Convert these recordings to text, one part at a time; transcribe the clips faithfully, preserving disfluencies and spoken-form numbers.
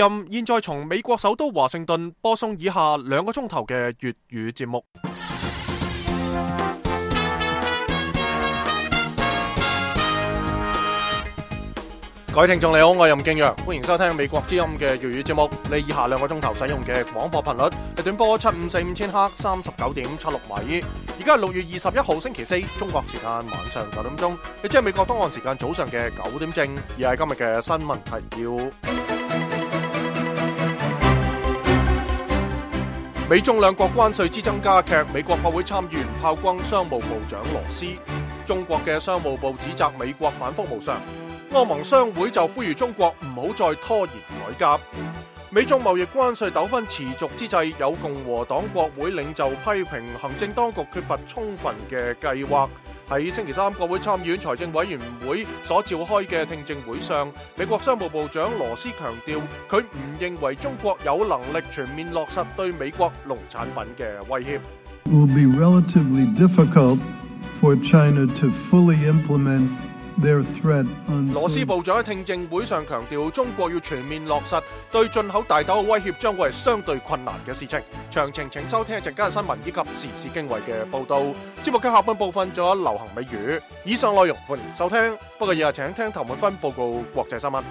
任現在從美國首都華盛頓播送以下兩個鐘頭嘅粵語節目。各位聽眾你好，我係任敬陽，歡迎收聽美國之音嘅粵語節目。你以下兩個鐘頭使用嘅廣播頻率係短波七五四五千赫，三十九點七六米。而家係六月二十一號星期四，中國時間晚上九點鐘，亦即係美國東岸時間早上嘅九點正。而係今日嘅新聞提要：美中兩國關稅之爭加劇，美國國會參議員炮轟商務部長羅斯。中國嘅商務部指責美國反覆無常。歐盟商會就呼籲中國唔好再拖延改革。美中貿易關稅糾紛持續之際，有共和黨國會領袖批評行政當局缺乏充分嘅計劃。喺星期三國會參議院財政委員會所召開嘅聽證會上，美國商務部長羅斯強調，佢唔認為中國有能力全面落實對美國農產品嘅威脅。It will be relatively difficult for China to fully implement羅斯部長喺聽證會上強調，中國要全面落實對進口大豆嘅威脅，將會係相對困難嘅事情。詳情請收聽一陣間嘅新聞以及時事經緯嘅報道。節目嘅下半部分仲有流行美語。以上內容歡迎收聽，不過以下請聽譚滿芬報告國際新聞。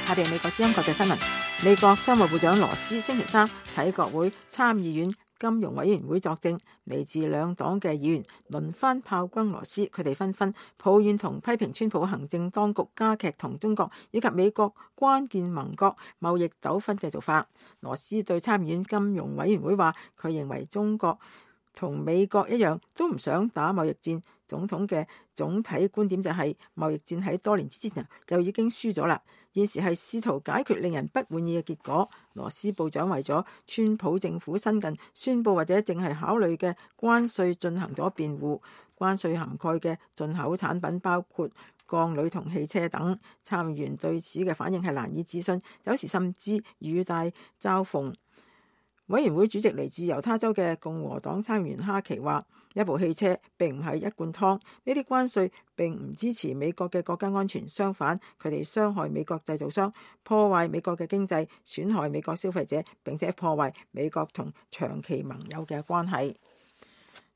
下邊美國之音國際新聞。美國商務部長羅斯星期三喺國會參議院金融委員會作證，嚟自兩黨嘅議員輪番炮轟羅斯，佢哋紛紛抱怨同批評川普行政當局加劇同中國以及美國關鍵盟國貿易糾紛嘅做法。羅斯對參議院金融委員會話，佢認為中國同美國一樣都唔想打貿易戰。總統嘅總體觀點就係貿易戰喺多年之前就已經輸咗啦，現時係試圖解決令人不滿意嘅結果。羅斯部長為咗川普政府新近宣布或者淨係考慮嘅關稅進行咗辯護。關稅涵蓋嘅進口產品包括鋼鋁同汽車等。參議員對此嘅反應係難以置信，有時甚至語帶嘲諷。委員會主席嚟自猶他州嘅共和黨參議員哈奇話，一部汽車並唔係一罐湯，呢啲關稅並唔支持美國嘅國家安全，相反，佢哋傷害美國製造商，破壞美國嘅經濟，損害美國消費者，並且破壞美國同長期盟友嘅關係。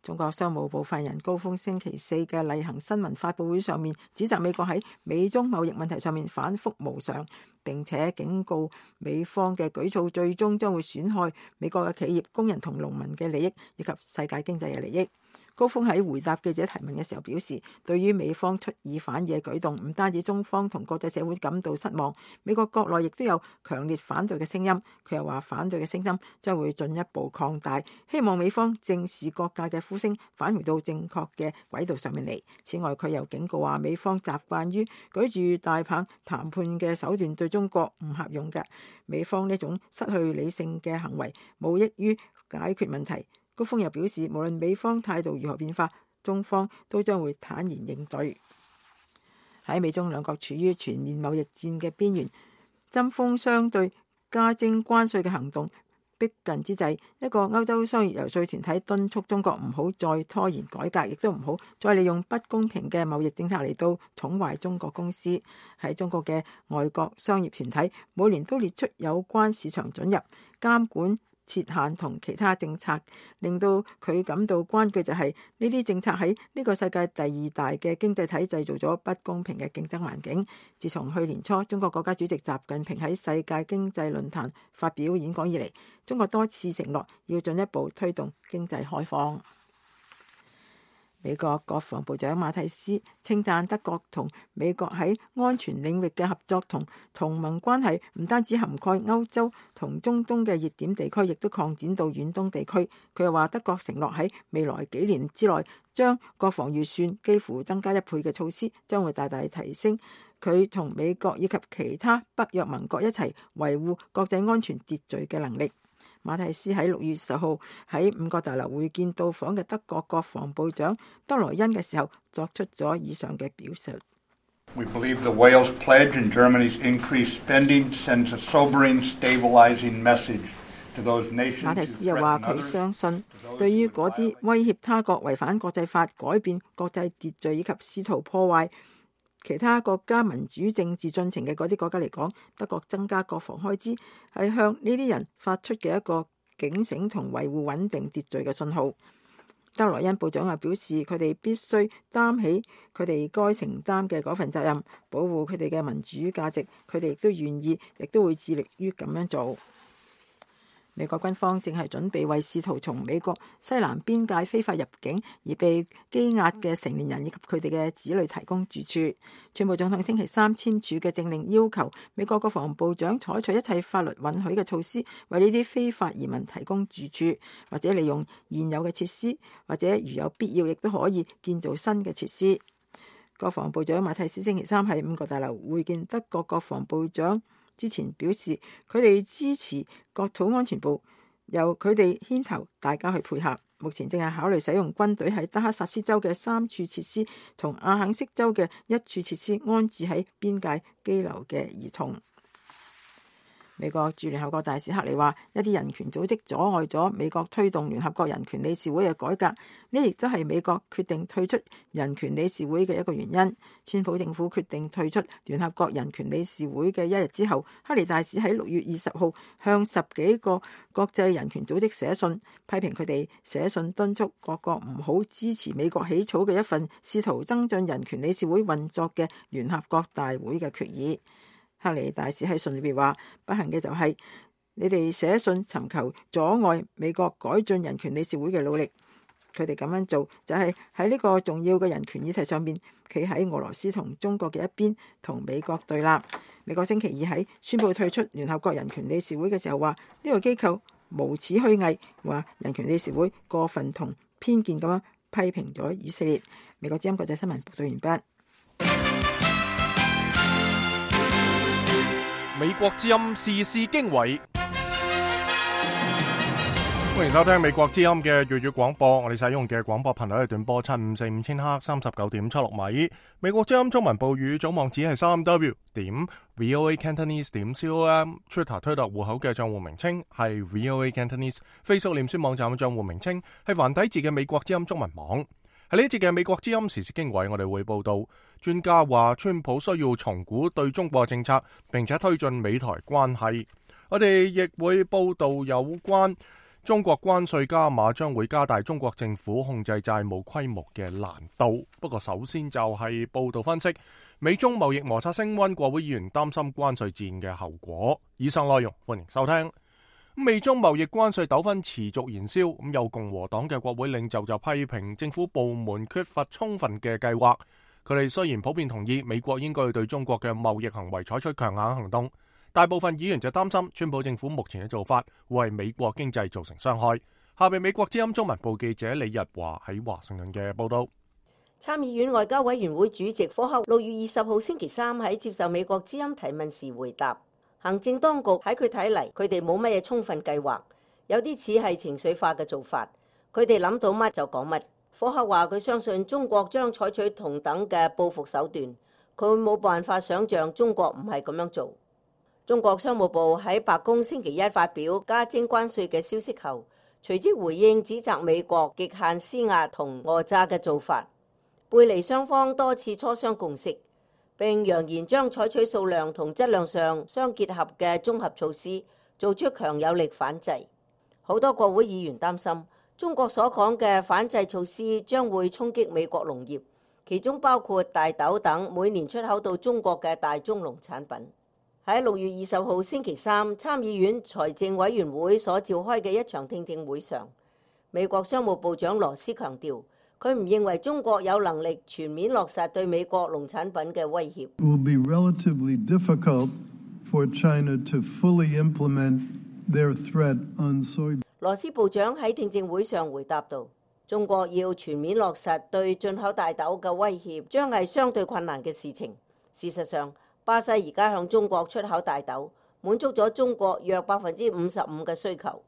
中國商務部發言人高峰星期四嘅例行新聞發佈會上面指責美國喺美中貿易問題上面反覆無常，並且警告美方嘅舉措最終將會損害美國嘅企業、工人同農民嘅利益，以及世界經濟嘅利益。高峰喺回答記者提問嘅時候表示，對於美方出爾反爾嘅舉動，唔單止中方同國際社會感到失望，美國國內亦都有強烈反對嘅聲音。佢又話，反對嘅聲音將會進一步擴大，希望美方正視各界嘅呼聲，返回到正確嘅軌道上面嚟。此外，佢又警告話，美方習慣於舉住大棒談判嘅手段對中國唔合用嘅，美方呢種失去理性嘅行為無益於解決問題。高峰又表示，無論美方態度如何變化，中方都將會坦然應對。喺美中兩國處於全面貿易戰嘅邊緣，針鋒相對加徵關稅嘅行動逼近之際，一個歐洲商業游說團體敦促中國唔好再拖延改革，亦都唔好再利用不公平嘅貿易政策嚟到寵壞中國公司。喺中國嘅外國商業團體每年都列出有關市場准入、監管、設限同其他政策，令到佢感到關鍵就係呢啲政策喺呢個世界第二大嘅經濟體製造咗不公平嘅競爭環境。自從去年初中國國家主席習近平喺世界經濟論壇發表演講以嚟，中國多次承諾要進一步推動經濟開放。美國國防部長馬蒂斯稱讚德國同美國喺安全領域嘅合作同同盟關係，唔單止涵蓋歐洲同中東嘅熱點地區，亦都擴展到遠東地區。佢又話，德國承諾喺未來幾年之內將國防預算幾乎增加一倍嘅措施，將會大大提升佢同美國以及其他北約盟國一齊維護國際安全秩序嘅能力。馬蒂斯喺六月十號喺五角大樓會見到訪嘅德國國防部長德萊恩嘅時候，作出咗以上嘅表述。We believe the Wales pledge and Germany's increased spending sends a sobering, stabilizing message to those nations 馬 who 提斯又話： threaten 佢 others, 相信，對於嗰啲威脅他國、違反國際法、改變國際秩序以及試圖破壞其他國家民主政治進程嘅嗰啲國家嚟講，德國增加國防開支係向呢啲人發出嘅一個警醒同維護穩定秩序嘅信號。德萊恩部長又表示，佢哋必須擔起佢哋該承擔嘅嗰份責任，保護佢哋嘅民主價值。佢哋亦都願意，亦都會致力於咁樣做。美國軍方正係準備為試圖從美國西南邊界非法入境而被羈押嘅成年人以及佢哋嘅子女提供住處。川普總統星期三簽署嘅政令要求美國國防部長採取一切法律允許嘅措施，為呢啲非法移民提供住處，或者利用現有嘅設施，或者如有必要，亦都可以建造新嘅設施。國防部長馬蒂斯星期三喺五角大樓會見德國國防部長之前表示，佢哋支持國土安全部由佢哋牽頭，大家去配合。目前正係考慮使用軍隊喺德克薩斯州嘅三處設施同阿肯色州嘅一處設施安置喺邊界羈留嘅兒童。美國駐聯合國大使克里話：一啲人權組織阻礙咗美國推動聯合國人權理事會嘅改革，呢亦都係美國決定退出人權理事會嘅一個原因。川普政府決定退出聯合國人權理事會嘅一日之後，克里大使喺六月二十號向十幾個國際人權組織寫信，批評佢哋寫信敦促各國唔好支持美國起草嘅一份試圖增進人權理事會運作嘅聯合國大會嘅決議。克里大使喺信裏邊話：不幸嘅就係你哋寫信尋求阻礙美國改進人權理事會嘅努力，佢哋咁樣做就係喺呢個重要嘅人權議題上面企喺俄羅斯同中國嘅一邊，同美國對立。美國星期二喺宣布退出聯合國人權理事會嘅時候話：呢個機構無恥虛偽，話人權理事會過分同偏見咁樣批評咗以色列。美國之音國際新聞報道完畢。美國之音時事經緯，歡迎收聽美國之音嘅粵語廣播。我哋使用嘅廣播頻率係短波七五四五千赫三十九點七六米。美國之音中文報語總網址係三 w 點 voa cantonese 點 com。Twitter 推特戶口嘅賬戶名稱係 voa cantonese。Facebook 臉書網站嘅賬戶名稱係繁體字嘅美國之音中文網。喺呢一節嘅美國之音時事經緯，我哋會報道專家話川普需要重估對中國政策，並且推進美台關係。我哋亦會報道有關中國關稅加碼將會加大中國政府控制債務規模嘅難度。不過首先就係報道分析美中貿易摩擦升溫，國會議員擔心關稅戰嘅後果。以上內容歡迎收聽。美中貿易關稅糾紛持續燃燒，咁有共和黨嘅國會領袖就批評政府部門缺乏充分嘅計劃。佢哋雖然普遍同意美國應該對中國嘅貿易行為採取強硬行動，大部分議員就擔心川普政府目前嘅做法會為美國經濟造成傷害。下邊美國之音中文部記者李日華喺華盛頓嘅報道。參議院外交委員會主席科克六月二十號星期三喺接受美國之音提問時回答，行政當局喺佢睇嚟，佢哋冇乜嘢充分計劃，有啲似係情緒化嘅做法，佢哋諗到乜就講乜。科克話佢相信中國將採取同等嘅報復手段，佢冇辦法想像中國唔係咁樣做。中國商務部喺白宮星期一發表加徵關稅嘅消息後，隨即回應指責美國極限施壓同訛詐嘅做法，背離雙方多次磋商共識，並揚言將採取數量同質量上相結合嘅綜合措施，做出強有力反制。好多國會議員擔心中國所講嘅反制措施將會衝擊美國農業，其中包括大豆等每年出口到中國嘅大宗農產品。喺六月二十號星期三，參議院財政委員會所召開嘅一場聽證會上，美國商務部長羅斯強調，佢唔認為中國有能力全面落實對美國農產品嘅威脅。It will be relatively difficult for China to fully implement their threat on soybeans. 羅斯部長喺聽證會上回答道，中國要全面落實對進口大豆嘅威脅，將係相對困難嘅事情。事實上，巴西而家向中國出口大豆，滿足咗中國約百分之五十五嘅需求。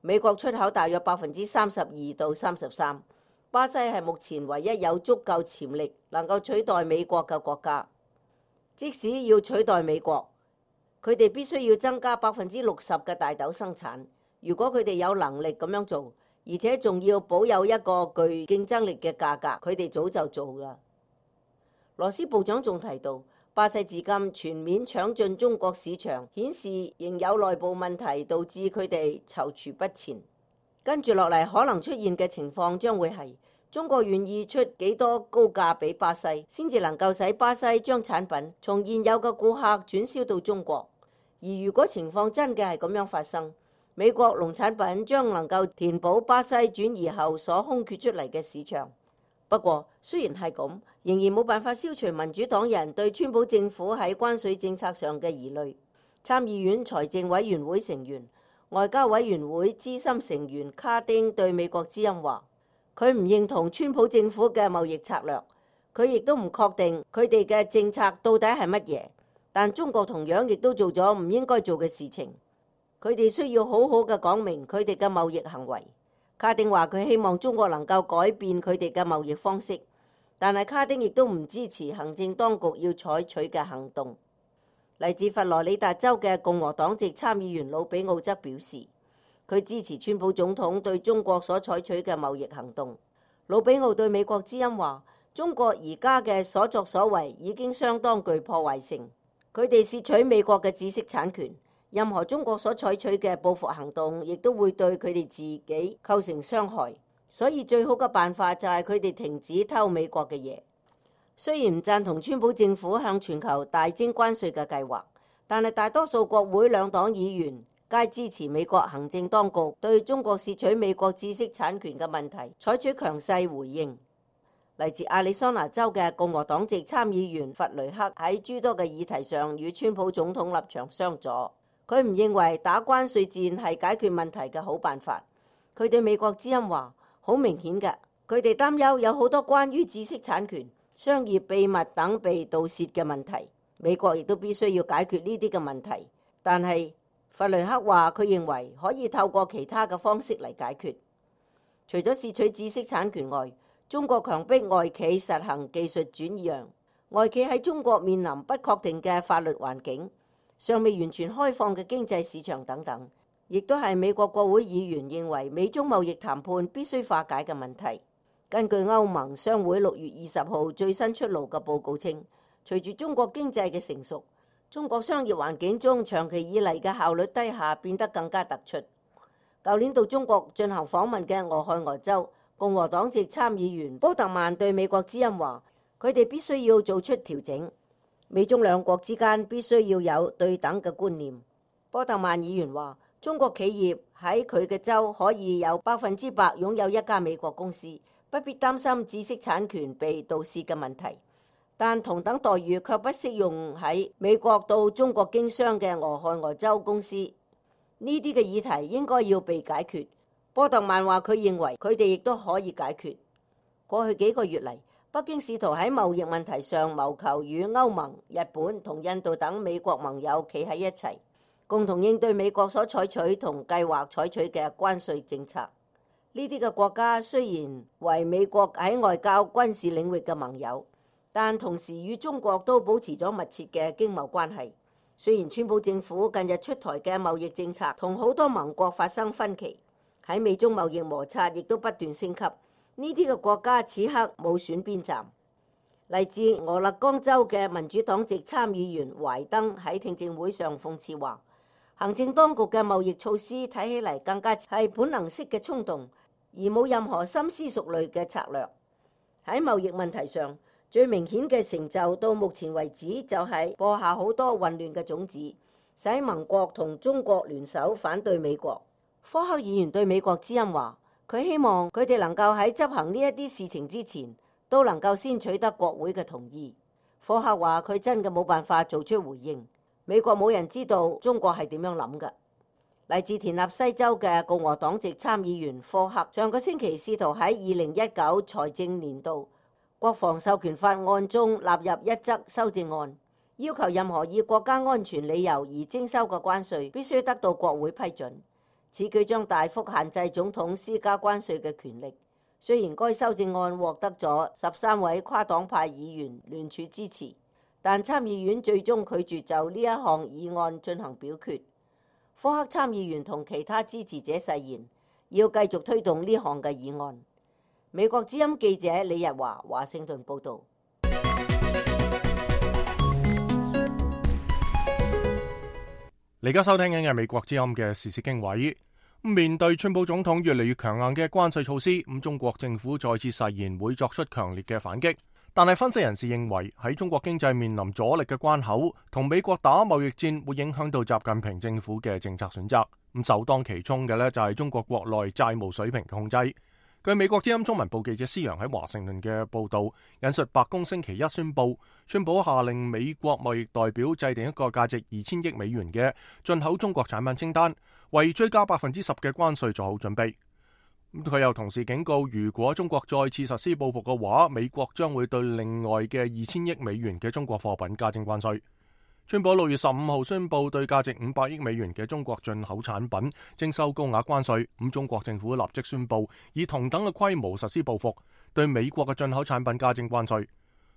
美國出口大約百分之三十二到三十三。巴西係目前唯一有足夠潛力能夠取代美國嘅國家。即使要取代美國，佢哋必須要增加百分之六十嘅大豆生產。如果佢哋有能力咁樣做，而且仲要保有一個具競爭力嘅價格，佢哋早就做啦。羅斯部長仲提到，巴西至今全面搶進中國市場，顯示仍有內部問題導致佢哋躊躇不前。跟住落嚟可能出現嘅情況將會係中國願意出幾多高價俾巴西，先至能夠使巴西將產品從現有嘅顧客轉銷到中國。而如果情況真嘅係咁樣發生，美國農產品將能夠填補巴西轉移後所空缺出嚟嘅市場。不過雖然係咁，仍然冇辦法消除民主黨人對川普政府喺關稅政策上嘅疑慮。參議院財政委員會成員、外交委員會資深成員卡丁對美國之音話，佢唔認同川普政府嘅貿易策略，佢亦都唔確定佢哋嘅政策到底係乜嘢。但中國同樣亦都做咗唔應該做嘅事情，佢哋需要好好嘅講明佢哋嘅貿易行為。卡丁話佢希望中國能夠改變佢哋嘅貿易方式，但係卡丁亦都唔支持行政當局要採取嘅行動。嚟自佛羅里達州嘅共和黨籍參議員魯比奧則表示，佢支持川普總統對中國所採取嘅貿易行動。魯比奧對美國之音話，中國而家嘅所作所為已經相當具破壞性，佢哋竊取美國嘅知識產權。任何中國所採取嘅報復行動，亦都會對佢哋自己構成傷害。所以最好嘅辦法就係佢哋停止偷美國嘅嘢。雖然唔贊同川普政府向全球大徵關稅嘅計劃，但係大多數國會兩黨議員皆支持美國行政當局對中國竊取美國知識產權嘅問題採取強勢回應。嚟自亞利桑那州嘅共和黨籍參議員弗雷克喺諸多嘅議題上與川普總統立場相左。佢唔認為打關稅戰係解決問題嘅好辦法。佢對美國之音話，好明顯嘅，佢哋擔憂有好多關於知識產權、商業秘密等被盜竊嘅問題。美國亦都必須要解決呢啲嘅問題。但係弗雷克話，佢認為可以透過其他嘅方式嚟解決。除咗竊取知識產權外，中國強迫外企實行技術轉讓，外企喺中國面臨不確定嘅法律環境，尚未完全開放嘅經濟市場等等，亦都係美國國會議員認為美中貿易談判必須化解嘅問題。根據歐盟商會六月二十號最新出爐嘅報告稱，隨住中國經濟嘅成熟，中國商業環境中長期以嚟嘅效率低下變得更加突出。舊年到中國進行訪問嘅俄亥俄州共和黨籍參議員波特曼對美國之音話，佢哋必須要做出調整。美中兩國之間必須要有對等嘅觀念。波特曼議員話，中國企業喺佢嘅州可以有百分之百擁有一家美國公司，不必擔心知識產權被盜竊嘅問題。但同等待遇卻不適用喺美國到中國經商嘅俄亥俄州公司。呢啲嘅議題應該要被解決。波特曼話，佢認為佢哋亦都可以解決。過去幾個月嚟，北京試圖喺貿易問題上謀求與歐盟、日本同印度等美國盟友企喺一齊，共同應對美國所採取同計劃採取嘅關稅政策。呢啲嘅國家雖然為美國喺外交、軍事領域嘅盟友，但同時與中國都保持咗密切嘅經貿關係。雖然川普政府近日出台嘅貿易政策同好多盟國發生分歧，喺美中貿易摩擦亦都不斷升級。呢啲嘅國家此刻冇選邊站。嚟自俄勒岡州嘅民主黨籍參議員懷登喺聽證會上諷刺話，行政當局嘅貿易措施睇起嚟更加係本能式嘅衝動，而冇任何深思熟慮嘅策略。喺貿易問題上，最明顯嘅成就到目前為止就係播下好多混亂嘅種子，使盟國同中國聯手反對美國。科克議員對美國之音話，佢希望佢哋能夠喺執行呢一啲事情之前，都能夠先取得國會嘅同意。科克話佢真嘅冇辦法做出回應。美國冇人知道中國係點樣諗㗎。嚟自田納西州嘅共和黨籍參議員科克上個星期試圖喺二零一九財政年度國防授權法案中納入一則修正案，要求任何以國家安全理由而徵收嘅關稅必須得到國會批准。此舉將大幅限制總統施加關稅嘅權力。雖然該修正案獲得咗十三位跨黨派議員聯署支持，但參議院最終拒絕就呢一項議案進行表決。科克參議員同其他支持者誓言要繼續推動呢項嘅議案。美國之音記者李日華華盛頓報導。你而家收聽緊嘅美國之音嘅時事經緯。面對川普總統越嚟越強硬嘅關稅措施，咁中國政府再次誓言會作出強烈嘅反擊。但係分析人士認為，喺中國經濟面臨阻力嘅關口，同美國打貿易戰會影響到習近平政府嘅政策選擇。咁首當其衝嘅呢，就係中國國內債務水平嘅控制。據美國之音中文部記者施洋喺華盛頓嘅報導，引述白宮星期一宣布，川普下令美國貿易代表制定一個價值二千億美元嘅進口中國產品清單，為追加百分之十嘅關稅做好準備。佢又同時警告，如果中國再次實施報復嘅話，美國將會對另外嘅二千億美元嘅中國貨品加徵關稅。川普六月十五號宣布對價值五百億美元嘅中國進口產品徵收高額關稅，咁中國政府立即宣布以同等嘅規模實施報復，對美國嘅進口產品加徵關稅。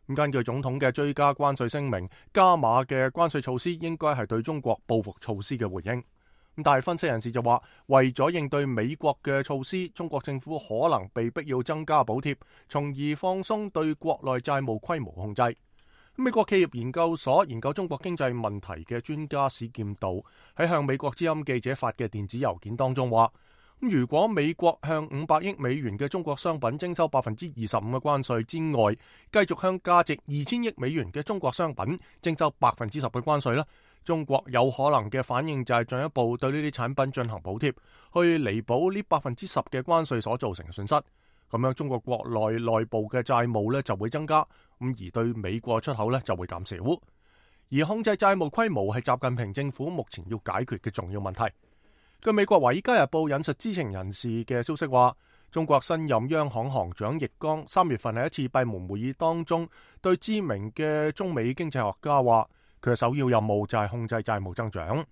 咁根據總統嘅追加關稅聲明，加碼嘅關稅措施應該係對中國報復措施嘅回應。咁但係分析人士就話，為咗應對美國嘅措施，中國政府可能被逼要增加補貼，從而放鬆對國內債務規模控制。美國企業研究所研究中國經濟問題嘅專家史劍道喺向美國之音記者發嘅電子郵件當中話，如果美國向五百億美元嘅中國商品徵收百分之二十五嘅關稅之外，繼續向價值二千億美元嘅中國商品徵收百分之十嘅關稅咧，中國有可能嘅反應就係進一步對呢啲產品進行補貼，去彌補呢百分之十嘅關稅所造成嘅損失。咁樣中國國內內部嘅債務咧就會增加，咁而對美國出口咧就會減少。而控制債務規模係習近平政府目前要解決嘅重要問題。據美國《華爾街日報》引述知情人士嘅消息話，中國新任央行行長易綱三月份喺一次閉門會議當中，對知名嘅中美經濟學家話，佢嘅首要任務就係控制債務增長。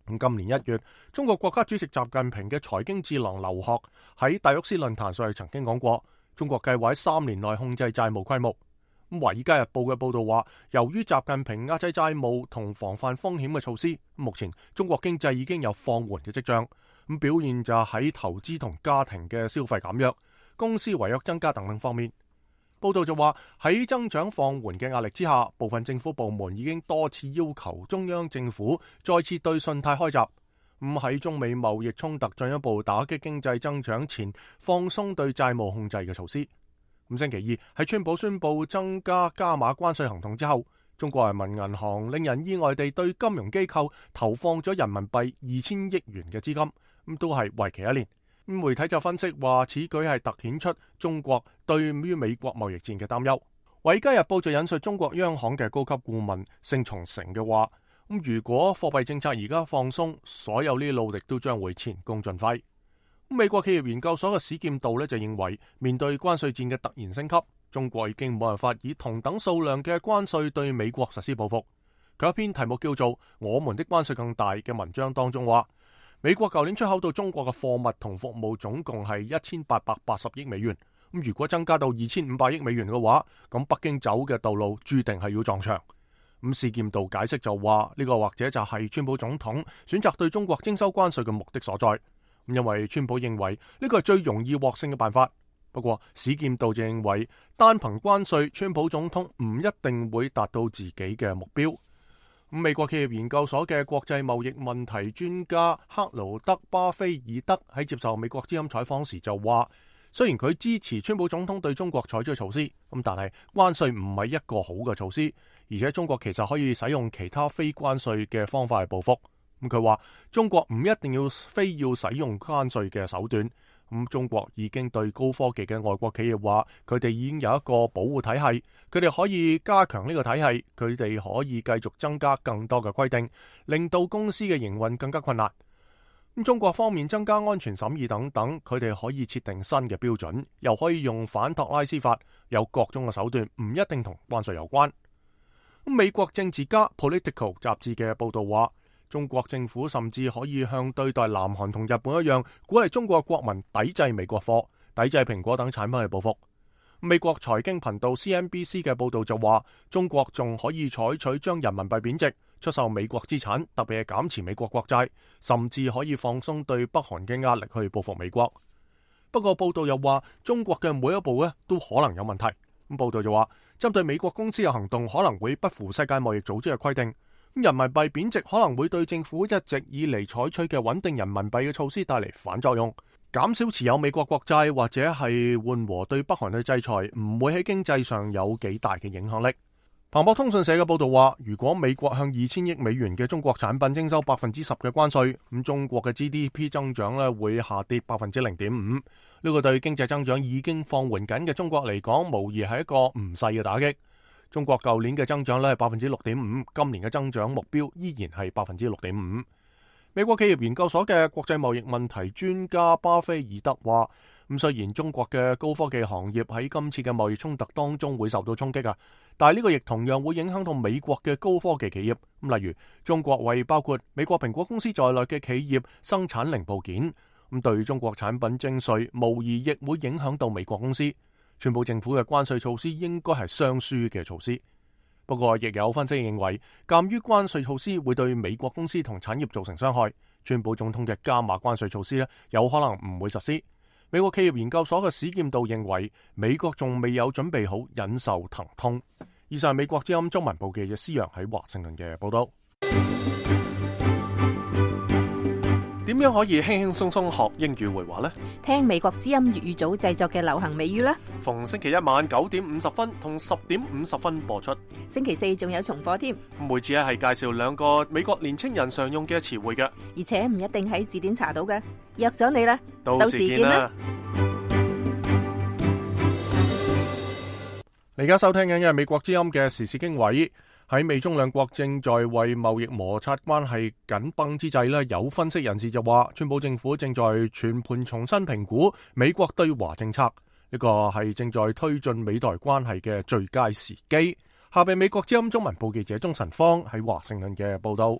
咁今年一月，中國國家主席習近平嘅財經智囊劉鶴喺達沃斯論壇上曾經講過，中國計劃喺三年內控制債務規模。咁《華爾街日報》嘅報道話，由於習近平壓制債務同防範風險嘅措施，目前中國經濟已經有放緩嘅跡象。咁表現就喺投資同家庭嘅消費減弱、公司違約增加等等方面。報道就話，喺增長放緩嘅壓力之下，部分政府部門已經多次要求中央政府再次對信貸開閘，咁喺中美貿易衝突進一步打擊經濟增長前，放鬆對債務控制嘅措施。咁星期二喺川普宣布增加加碼關稅行動之後，中國人民銀行令人意外地對金融機構投放咗人民幣二千億元嘅資金，咁都係為期一年。媒體就分析話，此舉係凸顯出中國對於美國貿易戰嘅擔憂。《華爾街日報》就引述中國央行嘅高級顧問盛松成嘅話，咁如果貨幣政策而家放鬆，所有呢啲努力都將會前功盡廢。美國企業研究所嘅史劍道咧就認為，面對關稅戰嘅突然升級，中國已經冇辦法以同等數量嘅關稅對美國實施報復。佢一篇題目叫做《我們的關稅更大》嘅文章當中話，美國舊年出口到中國嘅貨物同服務總共係一千八百八十億美元。咁如果增加到二千五百億美元嘅話，咁北京走嘅道路注定係要撞牆。咁史劍道解釋就話，呢個或者就係川普總統選擇對中國徵收關稅嘅目的所在。因為川普認為呢個係最容易獲勝嘅辦法。不過史劍道就認為，單憑關稅，川普總統唔一定會達到自己嘅目標。美國企業研究所嘅國際貿易問題專家克勞德巴菲爾德喺接受美國之音採訪時就話，雖然佢支持川普總統對中國採取措施，咁但係關稅唔係一個好嘅措施，而且中國其實可以使用其他非關稅嘅方法去報復。咁佢話中國唔一定要非要使用關稅嘅手段。咁中國已經對高科技嘅外國企業話，佢哋已經有一個保護體系，佢哋可以加強呢個體系，佢哋可以繼續增加更多嘅規定，令到公司嘅營運更加困難。咁中國方面增加安全審議等等，佢哋可以設定新嘅標準，又可以用反托拉斯法，有各種嘅手段，唔一定同關稅有關。咁美國政治家 Political 雜誌嘅報道話，中國政府甚至可以向對待南韓同日本一樣，鼓勵中國國民抵制美國貨、抵制蘋果等產品去報復。美國財經頻道 C N B C 嘅報導就話，中國仲可以採取將人民幣貶值、出售美國資產，特別係減持美國國債，甚至可以放鬆對北韓嘅壓力去報復美國。不過報導又話，中國嘅每一步咧都可能有問題。咁報導就話，針對美國公司嘅行動可能會不符世界貿易組織嘅規定。人民幣貶值可能會對政府一直以嚟採取嘅穩定人民幣嘅措施帶嚟反作用，減少持有美國國債或者係緩和對北韓嘅制裁，唔會喺經濟上有幾大嘅影響力。彭博通訊社嘅報導話，如果美國向二千億美元嘅中國產品徵收百分之十嘅關稅，咁中國嘅 G D P 增長咧會下跌百分之零點五。呢個對經濟增長已經放緩緊嘅中國嚟講，無疑係一個唔細嘅打擊。中國舊年嘅增長咧係百分之六點五，今年嘅增長目標依然係百分之六點五。美國企業研究所嘅國際貿易問題專家巴菲爾德話：咁雖然中國嘅高科技行業喺今次嘅貿易衝突當中會受到衝擊啊，但係呢個亦同樣會影響到美國嘅高科技企業。咁例如中國為包括美國蘋果公司在內嘅企業生產零部件，咁對中國產品徵稅，無疑亦會影響到美國公司。川普政府嘅關稅措施應該係雙輸嘅措施，不過亦有分析認為，鑑於關稅措施會對美國公司同產業造成傷害，川普總統嘅加碼關稅措施咧有可能唔會實施。美國企業研究所嘅史劍道認為，美國仲未有準備好忍受疼痛。以上係美國之音中文部記者施洋喺華盛頓嘅報道。點樣可以輕輕鬆鬆學英語會話呢？聽美國之音粵語組製作嘅流行美語啦。逢星期一晚九點五十分同十點五十分播出。星期四仲有重播添。每次咧係介紹兩個美國年青人常用嘅詞彙嘅，而且唔一定喺字典查到嘅。約咗你啦，到時見啦。你而家收聽緊嘅係美國之音嘅時事經緯。喺美中兩國正在為貿易摩擦關係緊繃之際咧，有分析人士就話，川普政府正在全盤重新評估美國對華政策，呢個係正在推進美台關係嘅最佳時機。下邊美國之音中文部記者鍾晨芳喺華盛頓嘅報道。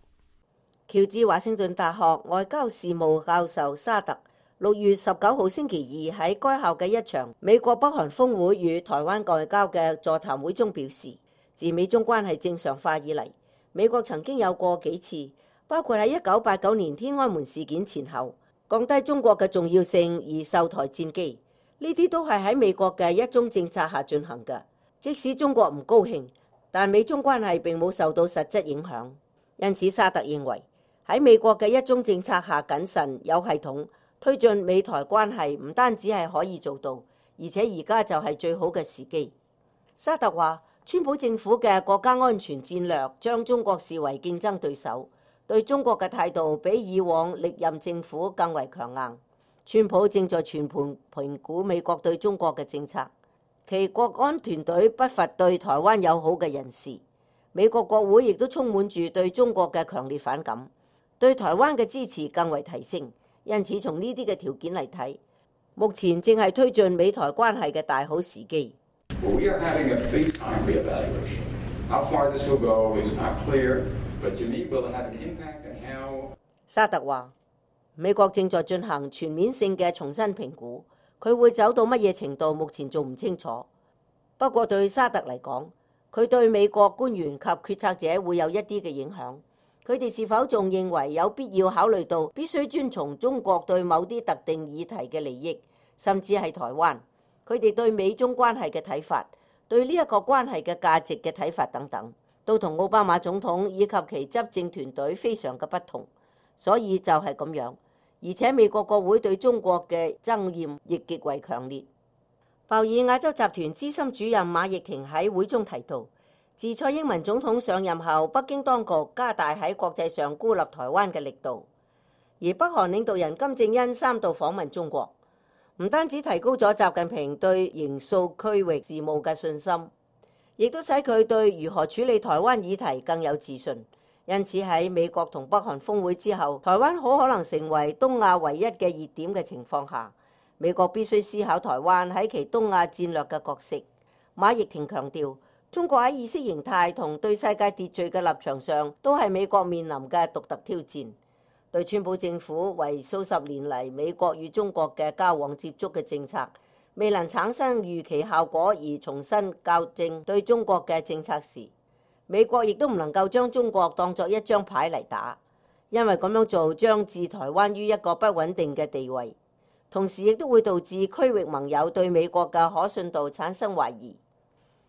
喬治華盛頓大學外交事務教授沙特六月十九號星期二喺該校嘅一場美國北韓峰會與台灣外交嘅座談會中表示，自美中關係正常化以嚟，美國曾經有過幾次，包括喺一九八九年天安門事件前後，降低中國嘅重要性而售台戰機，呢啲都係喺美國嘅一中政策下進行嘅。即使中國唔高興，但美中關係並冇受到實質影響。因此，沙特認為喺美國嘅一中政策下謹慎有系統推進美台關係，唔單止係可以做到，而且而家就係最好嘅時機。沙特話，川普政府嘅國家安全戰略將中國視為競爭對手，對中國嘅態度比以往歷任政府更為強硬。川普正在全盤評估美國對中國嘅政策，其國安團隊不乏對台灣友好嘅人士。美國國會亦都充滿住對中國嘅強烈反感，對台灣嘅支持更為提升。因此，從呢啲嘅條件嚟睇，目前正係推進美台關係嘅大好時機。Well, we are having a big time reevaluation. How far this will go is not clear, but to me, will it have an impact on how? 沙特話，美國正在進行全面性嘅重新評估，佢會走到乜嘢程度，目前仲唔清楚。不過對沙特嚟講，佢對美國官員及決策者會有一啲嘅影響。佢哋是否仲認為有必要考慮到必須遵從中國對某啲特定議題嘅利益，甚至係台灣？佢哋對美中關係嘅睇法，對呢一個關係嘅價值嘅睇法等等，都同奧巴馬總統以及其執政團隊非常嘅不同。所以就係咁樣，而且美國國會對中國嘅憎厭亦極為強烈。鮑爾亞洲集團資深主任馬奕婷喺會中提到，自蔡英文總統上任後，北京當局加大喺國際上孤立台灣嘅力度，而北韓領導人金正恩三度訪問中國，唔單止提高咗習近平對形塑區域事務嘅信心，亦都使佢對如何處理台灣議題更有自信。因此喺美國同北韓峰會之後，台灣好可能成為東亞唯一嘅熱點嘅情況下，美國必須思考台灣喺其東亞戰略嘅角色。馬奕婷強調，中國喺意識形態同對世界秩序嘅立場上，都係美國面臨嘅獨特挑戰。對川普政府為數十年嚟美國與中國嘅交往接觸嘅政策，未能產生預期效果而重新校正對中國嘅政策時，美國亦都唔能夠將中國當作一張牌嚟打，因為咁樣做將置台灣於一個不穩定嘅地位，同時亦都會導致區域盟友對美國嘅可信度產生懷疑。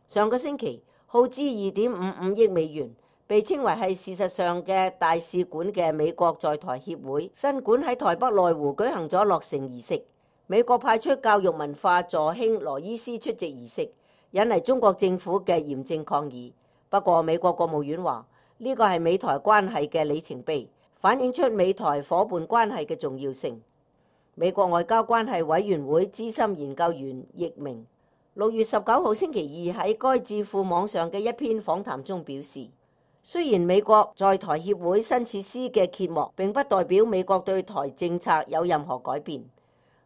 上個星期耗資二點五五億美元，被稱為係事實上嘅大使館嘅美國在台協會新館喺台北內湖舉行咗落成儀式。美國派出教育文化助卿羅伊斯出席儀式，引嚟中國政府嘅嚴正抗議。不過美國國務院話呢個係美台關係嘅里程碑，反映出美台夥伴關係嘅重要性。美國外交關係委員會資深研究員易明六月十九號星期二喺該智庫網上嘅一篇訪談中表示，雖然美國在台協會新設施嘅揭幕並不代表美國對台政策有任何改變。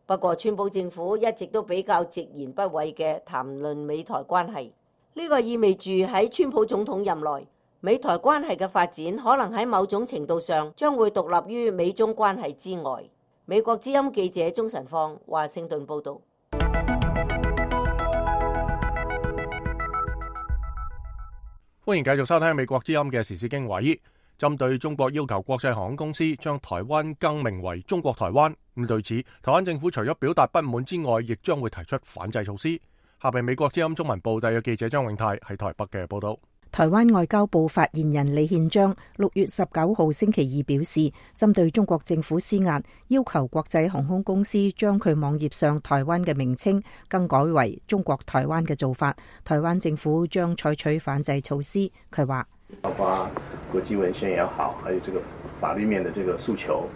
不過，川普政府一直都比較直言不諱嘅談論美台關係，呢個意味住喺川普總統任內，美台關係嘅發展可能喺某種程度上將會獨立於美中關係之外。美國之音記者鍾晨放華盛頓報導。歡迎繼續收聽美國之音嘅時事經緯。針對中國要求國際航空公司將台灣更名為中國台灣，咁對此，台灣政府除咗表達不滿之外，亦將會提出反制措施。下邊美國之音中文部第嘅記者張永泰喺台北嘅報道。台灣外交部發言人李憲章六月十九號星期二表示，針對中國政府施壓，要求國際航空公司將佢網頁上台灣嘅名稱更改為中國台灣嘅做法，台灣政府將採取反制措施。佢話，包括國際文獻也好，還有這個法律面的這個訴求，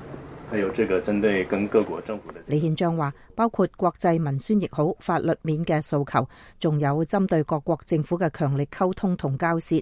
還有這個針對跟各國政府的。李憲章話，包括國際文宣亦好，法律面嘅訴求，仲有針對各國政府嘅強力溝通同交涉，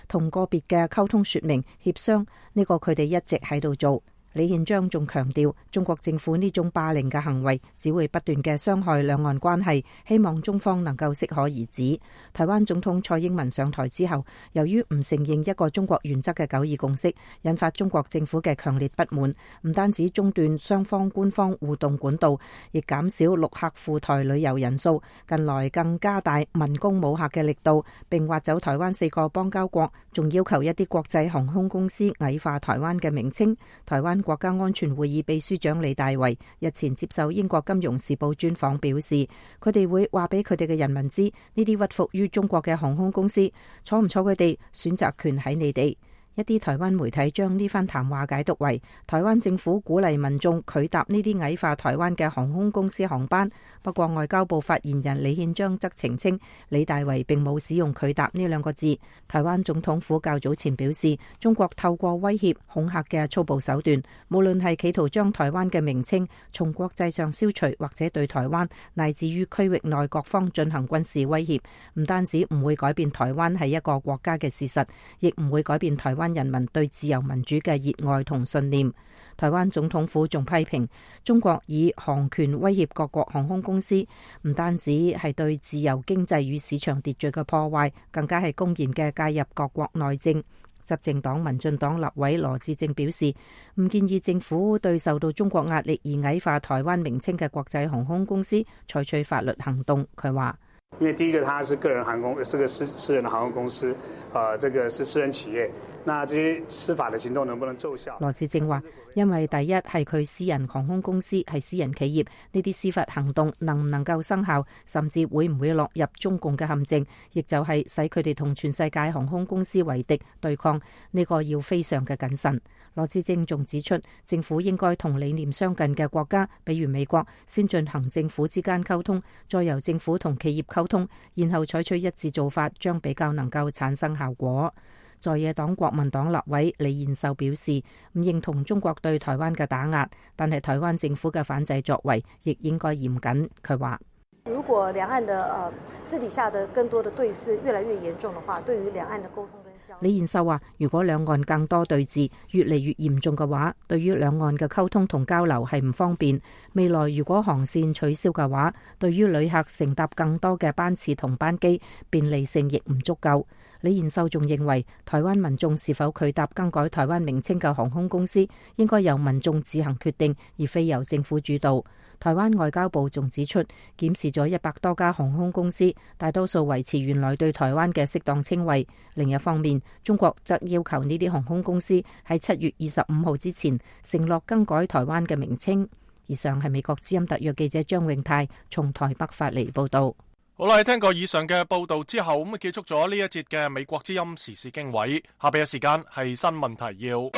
同個別嘅溝通說明協商，呢個佢哋一直喺度做。李憲章仲強調，中國政府呢種霸凌嘅行為只會不斷嘅傷害兩岸關係，希望中方能夠適可而止。台灣總統蔡英文上台之後，由於唔承認一個中國原則嘅九二共識，引發中國政府嘅強烈不滿，唔單止中斷雙方官方互動管道，亦減少陸客赴台旅遊人數，近來更加大文攻武嚇嘅力度，並挖走台灣四個邦交國，仲要求一啲國際航空公司矮化台灣嘅名稱。台灣國家安全會議秘書長李大維日前接受英國金融時報專訪表示，佢哋會話俾佢哋嘅人民知，呢啲屈服於中國嘅航空公司，坐唔坐佢哋，選擇權喺你哋。一啲台灣媒體將呢番談話解讀為台灣政府鼓勵民眾拒搭呢啲矮化台灣嘅航空公司航班。不過外交部發言人李憲章則澄清，李大維並冇使用拒搭呢兩個字。台灣總統府較早前表示，中國透過威脅恐嚇嘅粗暴手段，無論係企圖將台灣嘅名稱從國際上消除，或者對台灣乃至於區域內各方進行軍事威脅，唔單止唔會改變台灣係一個國家嘅事實，亦唔會改變台灣人民對自由民主嘅熱愛同信念。台灣總統府仲批評中國以航權威脅各國航空公司，唔單止係對自由經濟與市場秩序嘅破壞，更加係公然嘅介入各國內政。執政黨民進黨立委羅致政表示，唔建議政府對受到中國壓力而矮化台灣名稱嘅國際航空公司採取法律行動。佢話，因為第一個，它是個人航空，是個私私人的航空公司，呃，這個是私人企業，那這些司法的行動能不能奏效？羅致政話，因為第一係佢私人航空公司係私人企業，呢啲司法行動能唔能夠生效，甚至會唔會落入中共嘅陷阱，亦就係使佢哋同全世界航空公司為敵對抗，呢個要非常嘅謹慎。羅致政仲指出，政府應該同理念相近嘅國家，比如美國，先進行政府之間溝通，再由政府同企業溝通，然後採取一致做法，將比較能夠產生效果。在野黨國民黨立委李彥秀表示，唔認同中國對台灣嘅打壓，但係台灣政府嘅反制作為亦應該嚴謹。佢話，如果兩岸的呃私底下的更多的對峙越來越嚴重的話，對於兩岸的溝通跟交流。李彥秀話，如果兩岸更多對峙越嚟越嚴重嘅話，對於兩岸嘅溝通同交流係唔方便。未來如果航線取消嘅話，對於旅客乘搭更多嘅班次同班機，便利性亦唔足夠。李彥秀仲認為，台灣民眾是否拒搭更改台灣名稱嘅航空公司，應該由民眾自行決定，而非由政府主導。台灣外交部仲指出，檢視咗一百多家航空公司，大多數維持原來對台灣嘅適當稱謂。另一方面，中國則要求呢啲航空公司喺七月二十五號之前承諾更改台灣嘅名稱。以上係美國之音特約記者張永泰從台北發嚟報道。好啦，聽過以上嘅報道之後，咁結束咗呢一節嘅美國之音時事經緯。下邊嘅時間係新聞提要。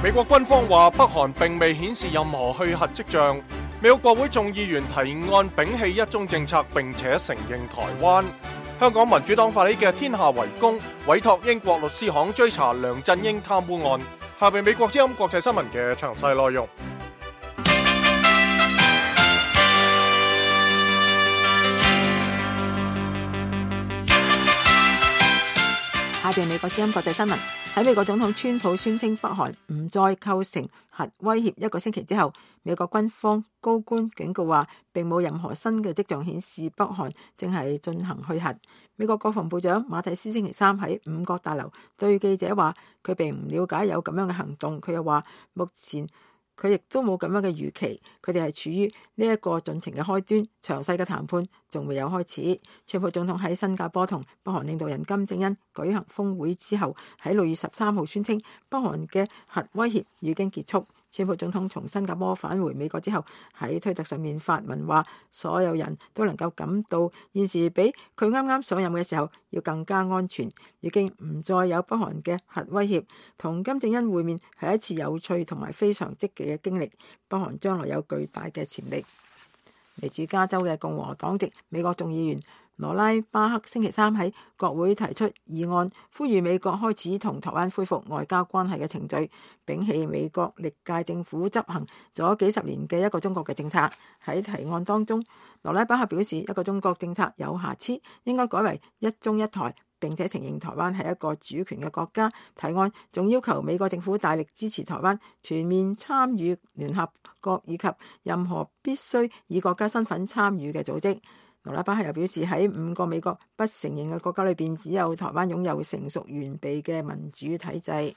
美國軍方話北韓並未顯示任何去核跡象。美國國會眾議員提案摒棄一中政策，並且承認台灣。香港民主黨發起嘅天下圍攻，委託英國律師行追查梁振英貪污案。下邊美國之音國際新聞嘅詳細內容。下邊美國之音國際新聞。喺美國總統川普宣稱北韓唔再構成核威脅一個星期之後，美國軍方高官警告話，並冇任何新嘅跡象顯示北韓正係進行去核。美國國防部長馬蒂斯星期三喺五角大樓對記者話，佢並唔了解有咁樣嘅行動。佢又話，目前佢亦都冇咁樣嘅預期，佢哋係處於呢一個進程嘅開端，詳細嘅談判仲未有開始。川普總統喺新加坡同北韓領導人金正恩舉行峰會之後，喺六月十三號宣稱北韓嘅核威脅已經結束。川普總統從新加坡返回美國之後，喺推特上面發文話，所有人都能夠感到現時比佢啱啱上任嘅時候要更加安全，已經唔再有北韓嘅核威脅。同金正恩會面係一次有趣同埋非常積極嘅經歷，北韓將來有巨大嘅潛力。嚟自加州嘅共和黨籍美國眾議員羅拉巴克星期三喺國會提出議案，呼籲美國開始同台灣恢復外交關係嘅程序，摒棄美國歷屆政府執行咗幾十年嘅一個中國嘅政策。喺提案當中，羅拉巴克表示一個中國政策有瑕疵，應該改為一中一台，並且承認台灣係一個主權嘅國家。提案仲要求美國政府大力支持台灣全面參與聯合國以及任何必須以國家身份參與嘅組織。羅拉巴克又表示，喺五個美國不承認嘅國家裏邊，只有台灣擁有成熟完備嘅民主體制。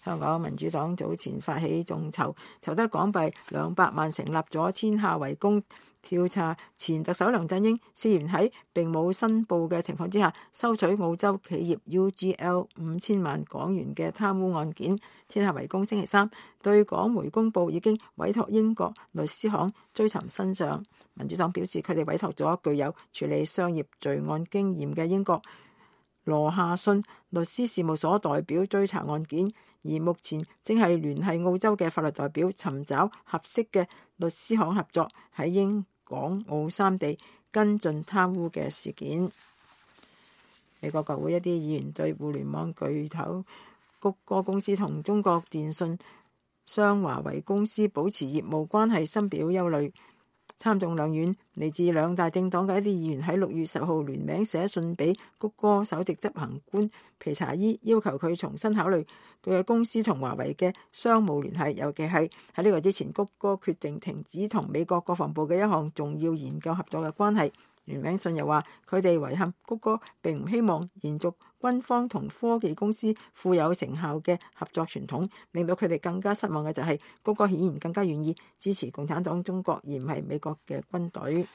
香港民主黨早前發起眾籌，籌得港幣兩百萬，成立咗天下圍攻，調查前特首梁振英涉嫌喺並冇申報嘅情況之下收取澳洲企業 U G L 五千萬港元嘅貪污案件。天下圍攻星期三對港媒公佈已經委託英國律師行追尋真相。民主黨表示，佢哋委託咗具有處理商業罪案經驗嘅英國羅夏遜律師事務所代表追查案件，而目前正係聯繫澳洲嘅法律代表尋找合適嘅律師行合作，喺英港澳三地跟進貪污嘅事件。美國國會一啲議員對互聯網巨頭谷歌公司同中國電信商華為公司保持業務關係深表憂慮。參眾兩院嚟自兩大政黨嘅一啲議員喺六月十號聯名寫信俾谷歌首席執行官皮查伊，要求佢重新考慮佢嘅公司同華為嘅商務聯繫，尤其係喺呢個之前，谷歌決定停止同美國國防部嘅一項重要研究合作嘅關係。聯名信又話，佢哋遺憾谷歌並唔希望延續軍方同科技公司富有成效嘅合作傳統，令到佢哋更加失望嘅就係谷歌顯然更加願意支持共產黨中國，而唔係美國嘅軍隊。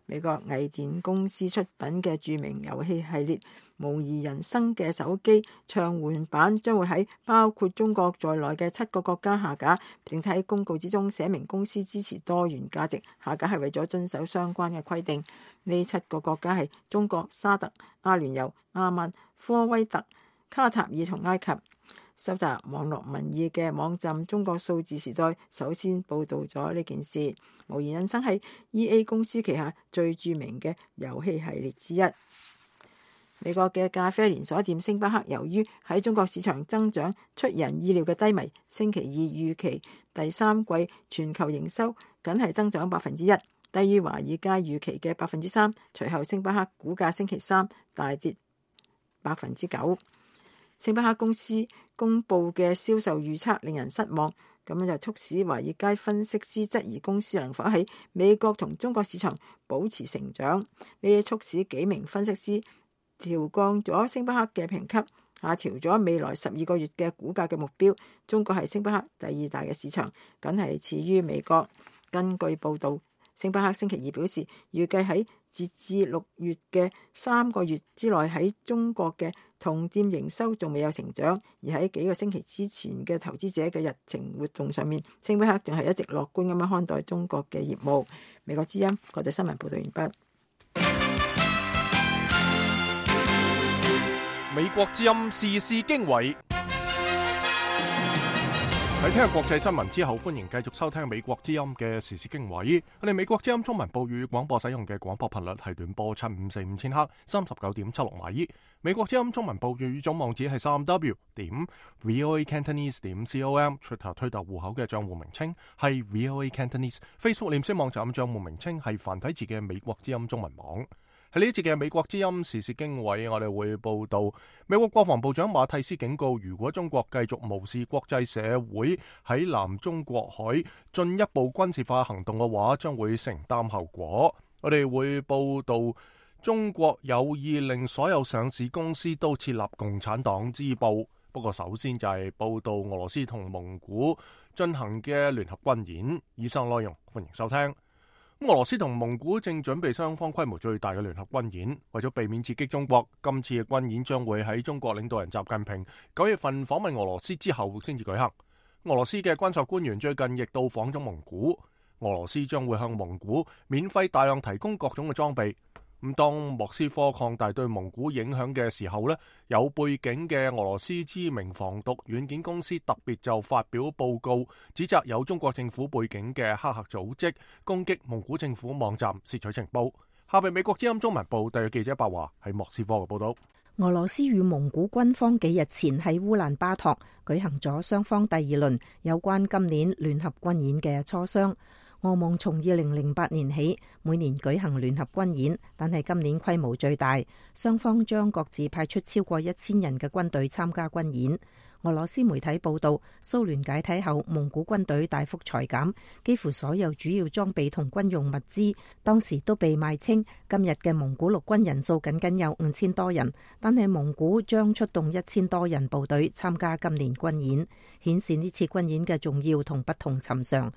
美國藝電公司出品嘅著名遊戲系列《模擬人生》嘅手機暢玩版將會喺包括中國在內嘅七個國家下架，並且喺公告之中寫明公司支持多元價值，下架係為咗遵守相關嘅規定。呢七個國家係中國、沙特、阿聯酋、阿曼、科威特、卡塔爾同埃及。收集網絡民意嘅網站中國數字時代首先報導咗呢件事。模擬人生係 E A 公司旗下最著名嘅遊戲系列之一。美國嘅咖啡連鎖店星巴克由於喺中國市場增長出人意料嘅低迷，星期二預期第三季全球營收僅係增長百分之一，低於華爾街預期嘅百分之三。隨後星巴克股價星期三大跌百分之九。星巴克公司公佈嘅銷售預測令人失望，咁樣就促使華爾街分析師質疑公司能否喺美國同中國市場保持成長。呢啲促使幾名分析師調降咗星巴克嘅評級。下調咗未來十二個月嘅股價嘅目標。中國係星巴克第二大嘅市場，僅係次於美國。根據報導，星巴克星期二表示，預計喺截至六月嘅三個月之內，喺中國嘅同店營收仲未有成長，而喺幾個星期之前嘅投資者嘅日程活動上面，星巴克仲係一直樂觀咁樣看待中國嘅業務。美國之音國際新聞報道完畢。美國之音時事經緯。喺聽日國際新聞之後，歡迎繼續收聽美國之音嘅時事經緯。我哋美國之音中文部粵語廣播使用嘅廣播頻率係短波七五四五千赫，三十九點七六米。美國之音中文部粵語總網址係三 w 點 voa cantonese 點 com。Twitter 推特戶口嘅賬戶名稱係 voa cantonese。Facebook 臉書網站賬戶名稱係繁體字嘅美國之音中文網。喺呢一節嘅美國之音時事經緯，我哋會報道美國國防部長馬蒂斯警告，如果中國繼續無視國際社會喺南中國海進一步軍事化行動嘅話，將會承擔後果。我哋會報道中國有意令所有上市公司都設立共產黨支部。不過首先就係報道俄羅斯同蒙古進行嘅聯合軍演。以上內容歡迎收聽。俄羅斯同蒙古正準備雙方規模最大嘅聯合軍演，為咗避免刺激中國，今次嘅軍演將會喺中國領導人習近平九月份訪問俄羅斯之後先至舉行。俄羅斯嘅軍售官員最近亦到訪咗蒙古，俄羅斯將會向蒙古免費大量提供各種嘅裝備。咁當莫斯科擴大對蒙古影響嘅時候呢，有背景嘅俄羅斯知名防毒軟件公司特別就發表報告，指責有中國政府背景嘅黑客組織攻擊蒙古政府網站，竊取情報。下邊美國之音中文部特約記者白華喺莫斯科嘅報道。俄羅斯與蒙古軍方幾日前喺烏蘭巴托舉行咗雙方第二輪有關今年聯合軍演嘅磋商。俄蒙從二零零八年起每年舉行聯合軍演，但係今年規模最大，雙方將各自派出超過一千人嘅軍隊參加軍演。俄羅斯媒體報道，蘇聯解體後，蒙古軍隊大幅裁減，幾乎所有主要裝備同軍用物資當時都被賣清。今日嘅蒙古陸軍人數僅僅有五千多人，但係蒙古將出動一千多人部隊參加今年軍演，顯示呢次軍演嘅重要同不同尋常。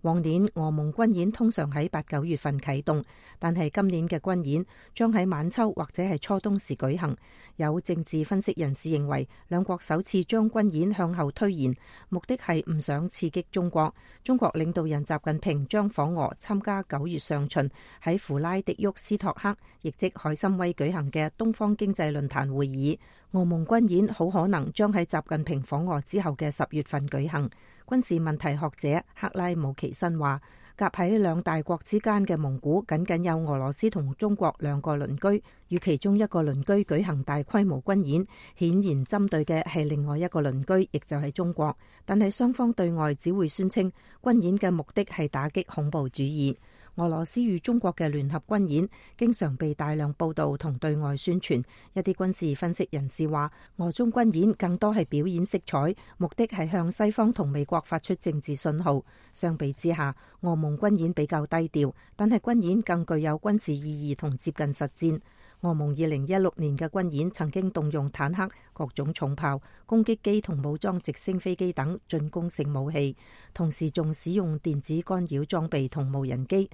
往年俄蒙軍演通常喺八九月份啟動，但係今年嘅軍演將喺晚秋或者係初冬時舉行。有政治分析人士認為，兩國首次將軍演向後推延，目的係唔想刺激中國。中國領導人習近平將訪俄參加九月上旬喺弗拉迪沃斯托克，亦即海參崴舉行嘅東方經濟論壇會議。俄蒙軍演好可能將喺習近平訪俄之後嘅十月份舉行。軍事問題學者克拉姆奇森話，夾喺兩大國之間嘅蒙古僅僅有俄羅斯同中國兩個鄰居，與其中一個鄰居舉行大規模軍演，顯然針對嘅係另外一個鄰居，亦就係中國。但係雙方對外只會宣稱軍演嘅目的係打擊恐怖主義。俄羅斯與中國嘅聯合軍演經常被大量報道同對外宣傳。一啲軍事分析人士話，俄中軍演更多係表演色彩，目的係向西方同美國發出政治信號。相比之下，俄蒙軍演比較低調，但係軍演更具有軍事意義同接近實戰。俄蒙二零一六年嘅軍演曾經動用坦克、各種重炮、攻擊機同武裝直升飛機等進攻性武器，同時仲使用電子干擾裝備同無人機。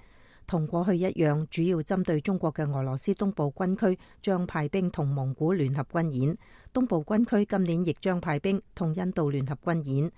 同過去一樣，主要針對中國嘅俄羅斯東部軍區將派兵同蒙古聯合軍演。東部軍區今年亦將派兵同印度聯合軍演。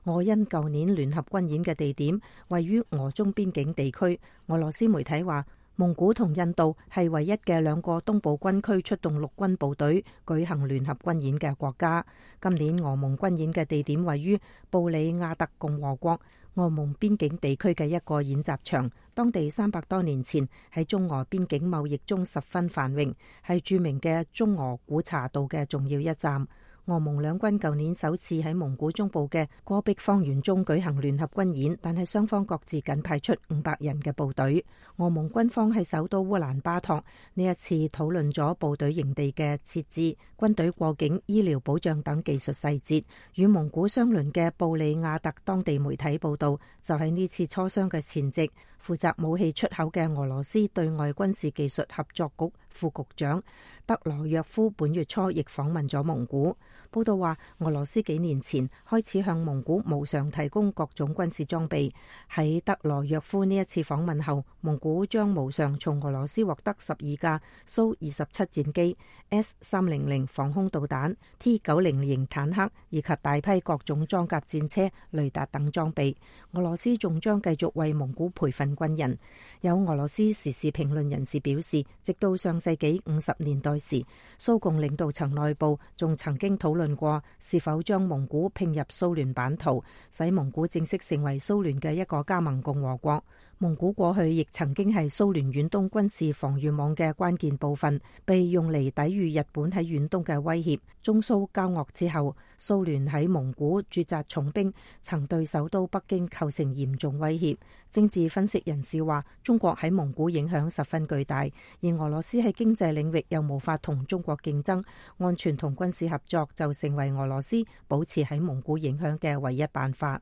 俄印舊年聯合軍演嘅地點位於俄中邊境地區。俄羅斯媒體話，蒙古同印度係唯一嘅兩個東部軍區出動陸軍部隊舉行聯合軍演嘅國家。今年俄蒙軍演嘅地點位於布里亞特共和國俄蒙邊境地區嘅一個演習場，當地三百多年前喺中俄邊境貿易中十分繁榮，係著名嘅中俄古茶道嘅重要一站。俄蒙兩軍舊年首次喺蒙古中部嘅戈壁荒原中舉行聯合軍演，但係雙方各自僅派出五百人嘅部隊。俄蒙軍方喺首都烏蘭巴托呢一次討論咗部隊營地嘅設置、軍隊過境、醫療保障等技術細節。與蒙古相鄰嘅布里亞特當地媒體報道，就喺呢次磋商嘅前夕，負責武器出口嘅俄羅斯對外軍事技術合作局副局長德羅約夫本月初亦訪問咗蒙古。報道話，俄羅斯幾年前開始向蒙古無償提供各種軍事裝備。喺德羅約夫呢一次訪問後，蒙古將無償從俄羅斯獲得十二架蘇二十七戰機、S 三零零防空導彈、T 九零型坦克以及大批各種裝甲戰車、雷達等裝備。俄羅斯仲將繼續為蒙古培訓軍人。有俄羅斯時事評論人士表示，直到上世紀五十年代時，蘇共領導層內部仲曾經討論過是否將蒙古併入蘇聯版圖，使蒙古正式成為蘇聯嘅一個加盟共和國。蒙古過去亦曾經係蘇聯遠東軍事防禦網嘅關鍵部分，被用嚟抵禦日本喺遠東嘅威脅。中蘇交惡之後，蘇聯喺蒙古駐紮重兵，曾對首都北京構成嚴重威脅。政治分析人士話，中國喺蒙古影響十分巨大，而俄羅斯喺經濟領域又無法同中國競爭，安全同軍事合作就成為俄羅斯保持喺蒙古影響嘅唯一辦法。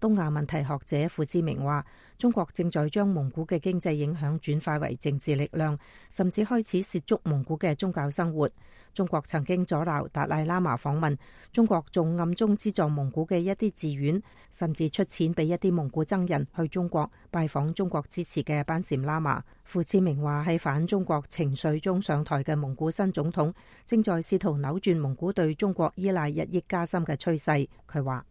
東亞問題學者傅志明話，中國正在將蒙古嘅經濟影響轉化為政治力量，甚至開始涉足蒙古嘅宗教生活。中國曾經阻撓達賴喇嘛訪問，中國仲暗中資助蒙古嘅一啲寺院，甚至出錢俾一啲蒙古僧人去中國拜訪中國支持嘅班禪喇嘛。傅志明話，喺反中國情緒中上台嘅蒙古新總統正在試圖扭轉蒙古對中國依賴日益加深嘅趨勢。佢話，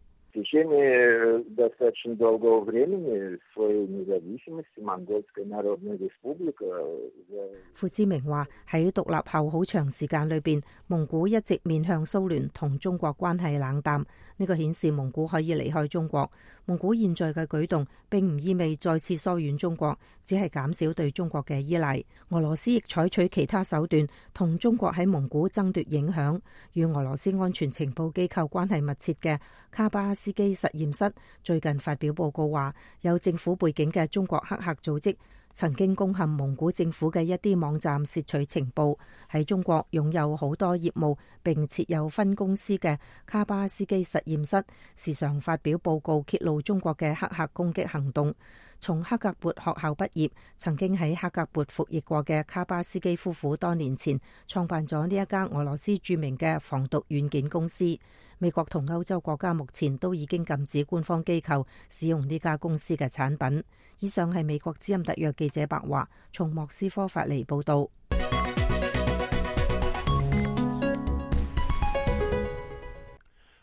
傅志明話，喺獨立後好長時間裏邊，蒙古一直面向蘇聯，同中國關係冷淡。呢個顯示蒙古可以離開中國。蒙古現在嘅舉動並唔意味再次疏遠中國，只係減少對中國嘅依賴。俄羅斯亦採取其他手段同中國喺蒙古爭奪影響。與俄羅斯安全情報機構關係密切嘅卡巴斯基實驗室最近發表報告話，有政府背景嘅中國黑客組織曾經攻陷蒙古政府嘅一啲網站，竊取情報。喺中國擁有好多業務並設有分公司嘅卡巴斯基實驗室，時常發表報告揭露中國嘅黑客攻擊行動。從克格勃學校畢業，曾經喺克格勃服役過嘅卡巴斯基夫婦多年前創辦咗呢一家俄羅斯著名嘅防毒軟件公司。美國同歐洲國家目前都已經禁止官方機構使用呢家公司嘅產品。以上係美國之音特約記者白華從莫斯科發嚟報道。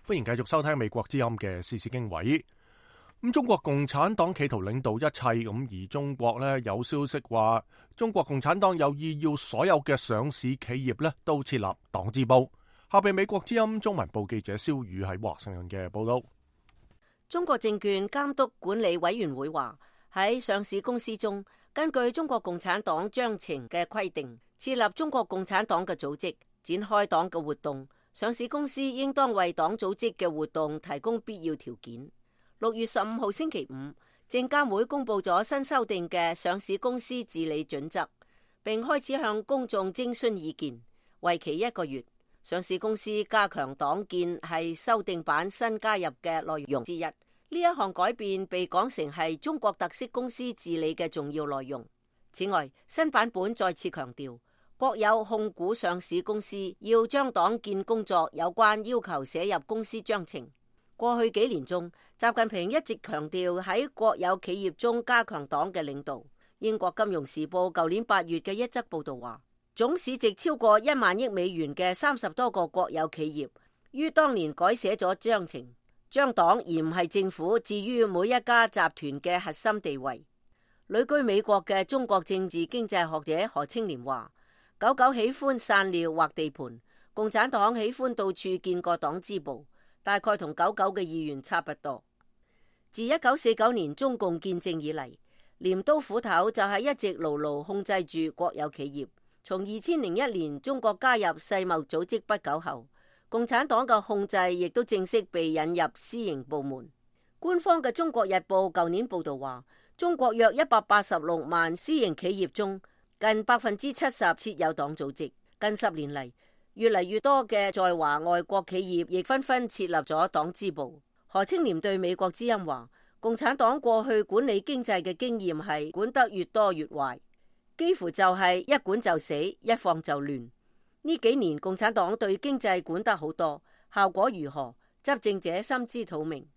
歡迎繼續收聽美國之音嘅時事經緯。咁中國共產黨企圖領導一切，咁而中國呢，有消息話，中國共產黨有意要所有嘅上市企業呢都設立黨支部。下邊美國之音中文部記者蕭宇喺華盛頓嘅報道。中國證券監督管理委員會話，喺上市公司中，根據中國共產黨章程嘅規定，設立中國共產黨嘅組織，展開黨嘅活動，上市公司應當為黨組織嘅活動提供必要條件。六月十五號星期五，證監會公布咗新修訂嘅上市公司治理準則，並開始向公眾徵詢意見，為期一個月。上市公司加強黨建係修訂版新加入嘅內容之一。呢一項改變被講成係中國特色公司治理嘅重要內容。此外，新版本再次強調，國有控股上市公司要將黨建工作有關要求寫入公司章程。過去幾年中，習近平一直強調喺國有企業中加強黨嘅領導。英國金融時報舊年八月嘅一則報道話，總市值超過一萬億美元嘅三十多個國有企業，於當年改寫咗章程，將黨而唔係政府置於每一家集團嘅核心地位。旅居美國嘅中國政治經濟學者何清濂話，狗狗喜歡散尿或地盤，共產黨喜歡到處建個黨支部，大概同狗狗嘅意願差不多。自一九四九年中共建政以嚟，鐮刀斧頭就係一直牢牢控制住國有企業。從二千零一年中國加入世貿組織不久後，共產黨嘅控制亦都正式被引入私營部門。官方嘅《中國日報》舊年報道話，中國約一百八十六萬私營企業中，近百分之七十設有黨組織。近十年嚟，越嚟越多嘅在華外國企業亦紛紛設立咗黨支部。何清濂對美國之音話，共產黨過去管理經濟嘅經驗係管得越多越壞，幾乎就係一管就死，一放就亂。呢幾年共產黨對經濟管得好多，效果如何，執政者心知肚明。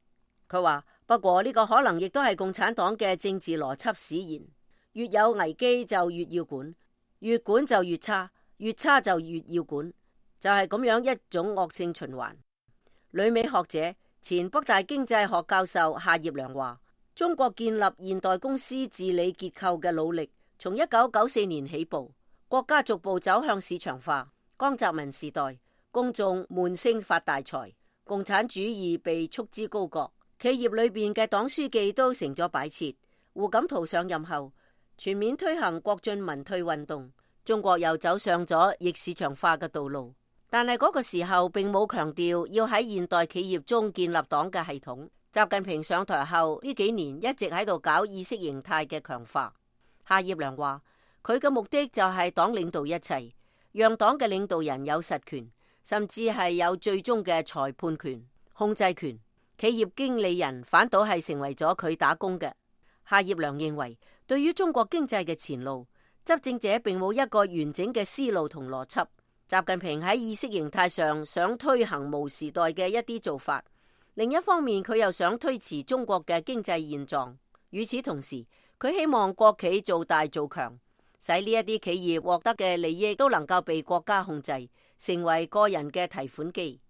佢話不過呢個可能亦都係共產黨嘅政治邏輯使然，越有危機就越要管，越管就越差，越差就越要管，就係咁樣一種惡性循環。旅美學者前北大經濟學教授夏業良話，中國建立現代公司治理結構嘅努力從一九九四年起步，國家逐步走向市場化。江澤民時代，公眾悶聲發大財，共產主義被束之高閣，企業裏邊嘅黨書記都成咗擺設。胡錦濤上任後，全面推行國進民退運動，中國又走上咗逆市場化嘅道路。但係嗰個時候並冇強調要喺現代企業中建立黨嘅系統。習近平上台後呢幾年一直喺度搞意識形態嘅強化。夏業良話，佢嘅目的就係黨領導一切，讓黨嘅領導人有實權，甚至係有最終嘅裁判權、控制權。企業經理人反倒係成為咗佢打工嘅。夏業良認為，對於中國經濟嘅前路，執政者並冇一個完整嘅思路同邏輯。習近平喺意識形態上想推行毛時代嘅一啲做法，另一方面佢又想推遲中國嘅經濟現狀。與此同時，佢希望國企做大做強，使呢一啲企業獲得嘅利益都能夠被國家控制，成為個人嘅提款機。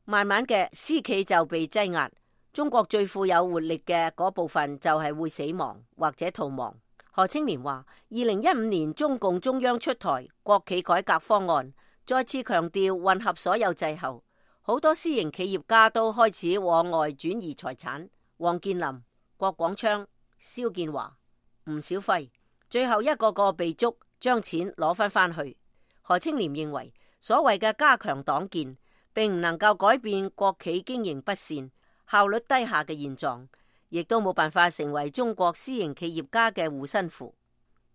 慢慢嘅，私企就被擠壓，中國最富有活力嘅嗰部分就係會死亡或者逃亡。何青年話，二零一五年中共中央出台國企改革方案，再次強調混合所有制後，好多私營企業家都開始往外轉移財產。王健林、郭廣昌、蕭建華、吳小輝，最後一個個被捉，將錢攞翻翻去。何青年認為，所謂嘅加強黨建，並唔能夠改變國企經營不善、效率低下嘅現狀，亦都冇辦法成為中國私營企業家嘅護身符。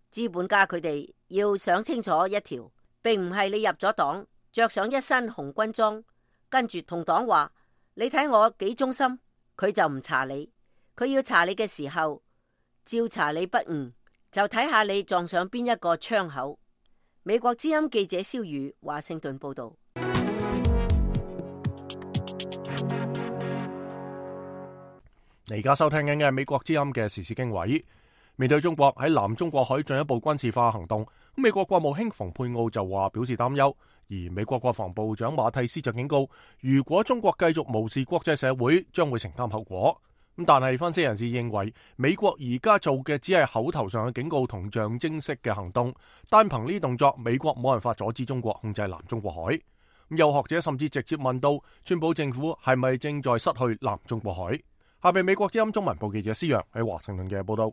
資本家佢哋要想清楚一條，並唔係你入咗黨，着上一身紅軍裝，跟住同黨話你睇我幾忠心，佢就唔查你。佢要查你嘅時候，照查你不誤，就睇下你撞上邊一個窗口。美國之音記者蕭宇華盛頓報道。你而家收聽緊嘅係美國之音嘅時事經緯。面對中國喺南中國海進一步軍事化行動，美國國務卿蓬佩奧就話表示擔憂，而美國國防部長馬蒂斯就警告，如果中國繼續無視國際社會，將會承擔後果。咁但係分析人士認為，美國而家做嘅只係口頭上嘅警告同象徵式嘅行動，單憑呢啲動作，美國冇辦法阻止中國控制南中國海。有學者甚至直接問到，川普政府係咪正在失去南中國海？下面美國之音中文部記者施洋喺華盛頓嘅報道。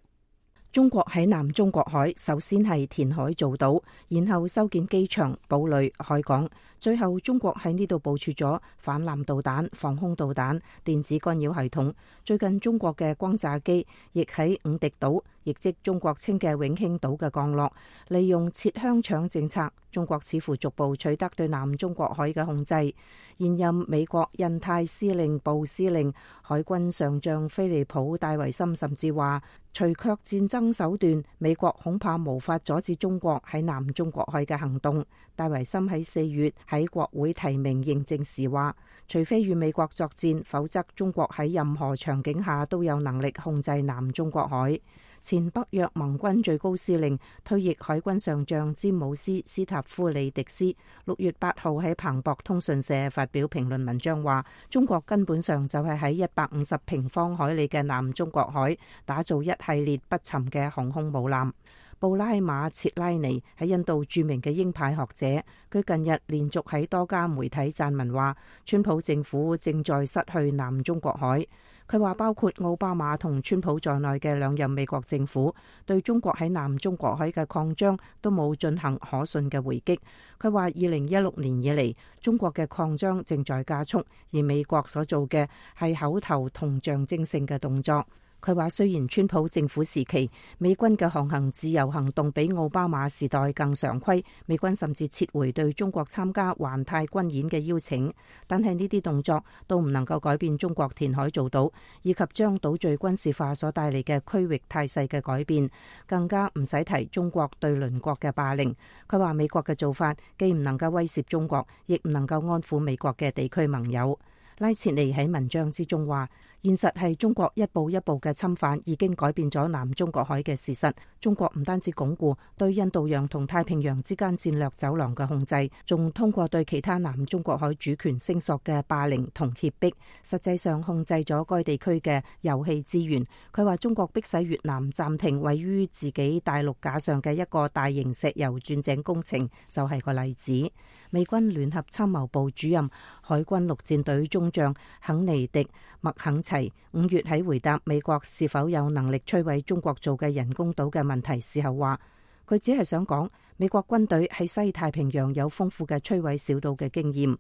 中國喺南中國海首先係填海造島，然後修建機場、堡壘、海港，最後中國喺呢度部署咗反艦導彈、防空導彈、電子干擾系統。最近中國嘅轟炸機亦喺五敵島，亦即中國稱嘅永興島嘅降落。利用切香腸政策，中國似乎逐步取得對南中國海嘅控制。現任美國印太司令部司令海軍上將菲利普戴維森甚至話，除卻戰爭手段，美國恐怕無法阻止中國喺南中國海嘅行動。戴維森喺四月喺國會提名認證時話，除非與美國作戰，否則中國喺任何場景下都有能力控制南中國海。前北約盟軍最高司令退役海軍上將詹姆斯·斯塔夫里迪斯六月八號喺彭博通訊社發表評論文章話，中國根本上就係喺一百五十平方海里嘅南中國海打造一系列不沉嘅航空母艦。布拉馬切拉尼係印度著名嘅鷹派學者，佢近日連續喺多家媒體撰文話，川普政府正在失去南中國海。佢話包括奧巴馬同川普在內嘅兩任美國政府對中國喺南中國海嘅擴張都冇進行可信嘅回擊。佢話二零一六年以嚟，中國嘅擴張正在加速，而美國所做嘅係口頭同象徵性嘅動作。佢話雖然川普政府時期美軍嘅航行自由行動比奧巴馬時代更常規，美軍甚至撤回對中國參加環太軍演嘅邀請，但係呢啲動作都唔能夠改變中國填海造島以及將島嶼軍事化所帶嚟嘅區域態勢嘅改變，更加唔使提中國對鄰國嘅霸凌。佢話美國嘅做法既唔能夠威懾中國，亦唔能夠安撫美國嘅地區盟友。拉切尼喺文章之中話，現實係中國一步一步嘅侵犯已經改變咗南中國海嘅事實。中國唔單止鞏固對印度洋同太平洋之間戰略走廊嘅控制，仲通過對其他南中國海主權聲索嘅霸凌同脅迫，實際上控制咗該地區嘅油氣資源。佢話中國迫使越南暫停位於自己大陸架上嘅一個大型石油鑽井工程，就係個例子。美軍聯合參謀部主任海軍陸戰隊中將肯尼迪麥肯齊五月喺回答美國是否有能力摧毀中國做嘅人工島嘅問題時候話，佢只係想講美國軍隊喺西太平洋有豐富嘅摧毀小島嘅經驗。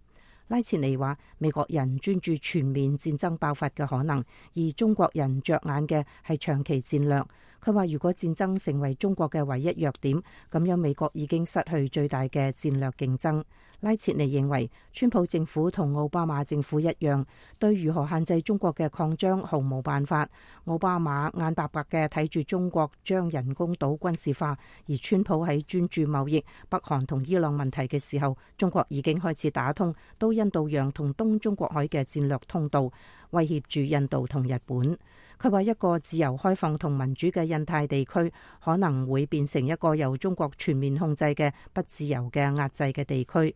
拉切尼話，美國人專注全面戰爭爆發嘅可能，而中國人着眼嘅係長期戰略。佢話如果戰爭成為中國嘅唯一弱點，咁樣美國已經失去最大嘅戰略競爭。拉切尼認為，川普政府同奧巴馬政府一樣，對如何限制中國嘅擴張毫無辦法。奧巴馬眼白白嘅睇住中國將人工島軍事化，而川普喺專注貿易、北韓同伊朗問題嘅時候，中國已經開始打通到印度洋同東中國海嘅戰略通道，威脅住印度同日本。佢話一個自由開放同民主嘅印太地區可能會變成一個由中國全面控制嘅不自由嘅壓制嘅地區。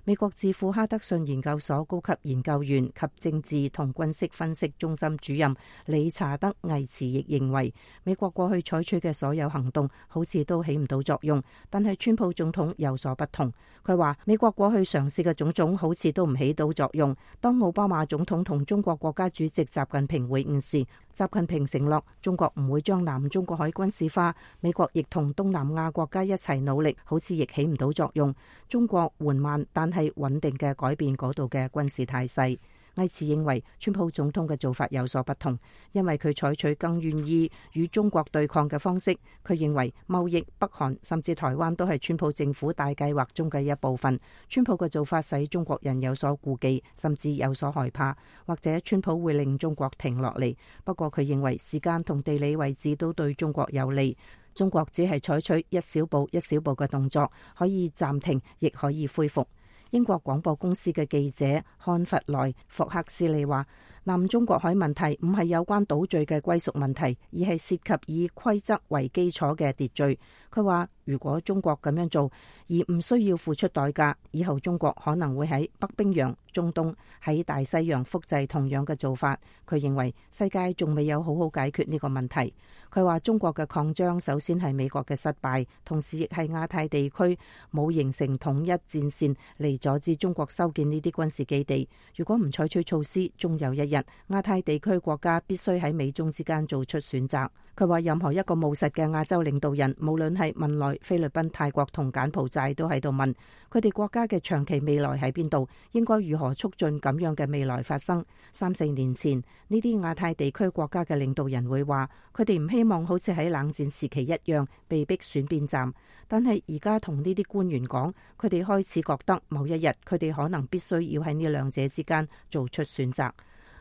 美國智庫哈德遜研究所高級研究員及政治同軍事分析中心主任理查德魏茨亦認為，美國過去採取嘅所有行動好似都起唔到作用，但係川普總統有所不同。佢話美國過去嘗試嘅種種好似都唔起到作用。當奧巴馬總統同中國國家主席習近平會晤時，習近平承諾中國唔會將南中國海軍事化，美國亦同東南亞國家一齊努力，好似亦起唔到作用。中國緩慢但係穩定嘅改變嗰度嘅軍事態勢。魏茨認為川普總統嘅做法有所不同，因為佢採取更願意與中國對抗嘅方式。佢認為貿易、北韓甚至台灣都係川普政府大計劃中嘅一部分。川普嘅做法使中國人有所顧忌，甚至有所害怕，或者川普會令中國停落嚟。不過佢認為時間同地理位置都對中國有利。中國只係採取一小步一小步嘅動作，可以暫停，亦可以恢復。英國廣播公司嘅記者漢弗萊霍克斯利話，南中國海問題唔係有關島嶼嘅歸屬問題，而係涉及以規則為基礎嘅秩序。佢話如果中國咁樣做而唔需要付出代價，以後中國可能會喺北冰洋、中東、喺大西洋複製同樣嘅做法。佢認為世界仲未有好好解決呢個問題。佢話中國嘅擴張首先係美國嘅失敗，同時亦係亞太地區冇形成統一戰線嚟阻止中國修建呢啲軍事基地。如果唔採取措施，終有一日亞太地區國家必須喺美中之間做出選擇。佢話任何一個務實嘅亞洲領導人，無論係文萊、菲律賓、泰國同柬埔寨，都喺度問佢哋國家嘅長期未來喺邊度，應該如何促進咁樣嘅未來發生。三四年前呢啲亞太地區國家嘅領導人會話，佢哋唔希望好似喺冷戰時期一樣被逼選邊站，但係而家同呢啲官員講，佢哋開始覺得某一日佢哋可能必須要喺呢兩者之間做出選擇。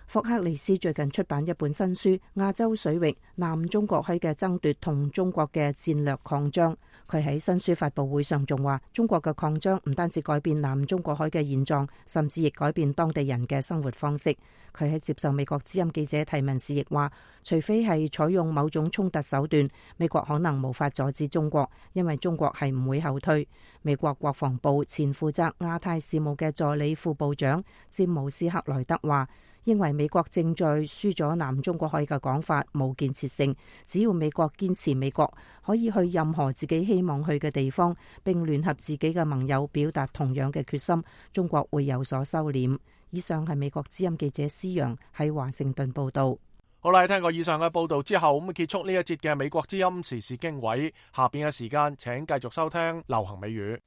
霍克利斯最近出版一本新書《亞洲水域南中國海嘅爭奪同中國嘅戰略擴張》。佢喺新書發佈會上仲話，中國嘅擴張唔單止改變南中國海嘅現狀，甚至亦改變當地人嘅生活方式。佢喺接受美國之音記者提問時亦話，除非係採用某種衝突手段，美國可能無法阻止中國，因為中國係唔會後退。美國國防部前負責亞太事務嘅助理副部長詹姆斯克萊德話，認為美國正在輸咗南中國海嘅講法冇建設性，只要美國堅持美國可以去任何自己希望去嘅地方，並聯合自己嘅盟友表達同樣嘅決心，中國會有所收斂。以上係美國之音記者施陽喺華盛頓報道。好啦，聽過以上嘅報道之後，咁結束呢一節嘅美國之音時事經緯。下邊嘅時間，請繼續收聽流行美語。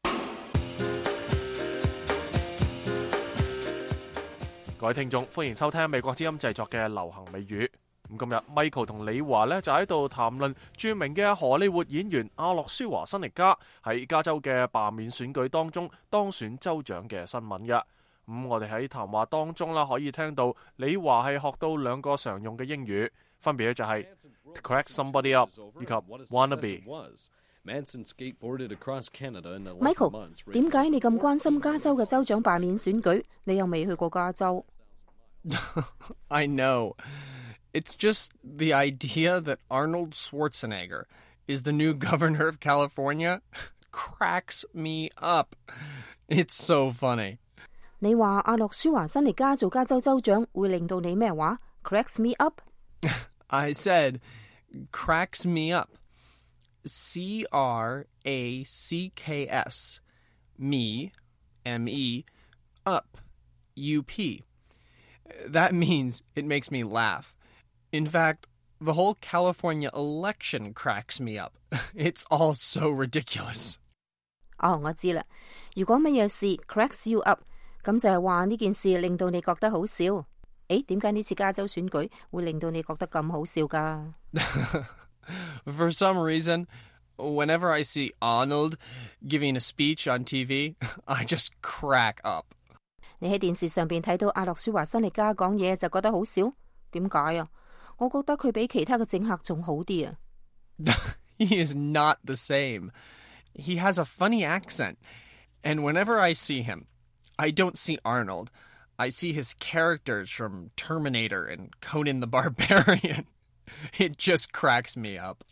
各位聽眾，歡迎收聽美國之音製作嘅流行美語。咁今日 Michael 同李華咧就喺度談論著名嘅荷里活演員阿諾舒華辛力加喺加州嘅罷免選舉當中當選州長嘅新聞嘅。咁、嗯、我哋喺談話當中啦，可以聽到李華係學到兩個常用嘅英語，分別咧就係 to crack somebody up 以及 wannabe。Michael， 點解你咁關心加州嘅州長罷免選舉？你又未去過加州。I know. It's just the idea that Arnold Schwarzenegger is the new governor of California cracks me up. It's so funny. 你話阿諾舒華辛力加做加州州長會令到你咩話 ？Cracks me up? I said cracks me up. C R A C K S. Me, M E, up, U P. That means it makes me laugh. In fact, the whole California election cracks me up. It's all so ridiculous. 哦，我知啦。如果乜嘢事 cracks you up， 咁就係話呢件事令到你覺得好笑。誒，點解呢次加州選舉會令到你覺得咁好笑㗎？ For some reason, whenever I see Arnold giving a speech on T V, I just crack up. 你喺電視上邊睇到阿諾舒華辛力加講嘢就覺得好笑？點解啊？我覺得佢比其他嘅政客仲好啲啊。He is not the same. He has a funny accent. And whenever I see him, I don't see Arnold. I see his characters from Terminator and Conan the Barbarian. It just cracks me up.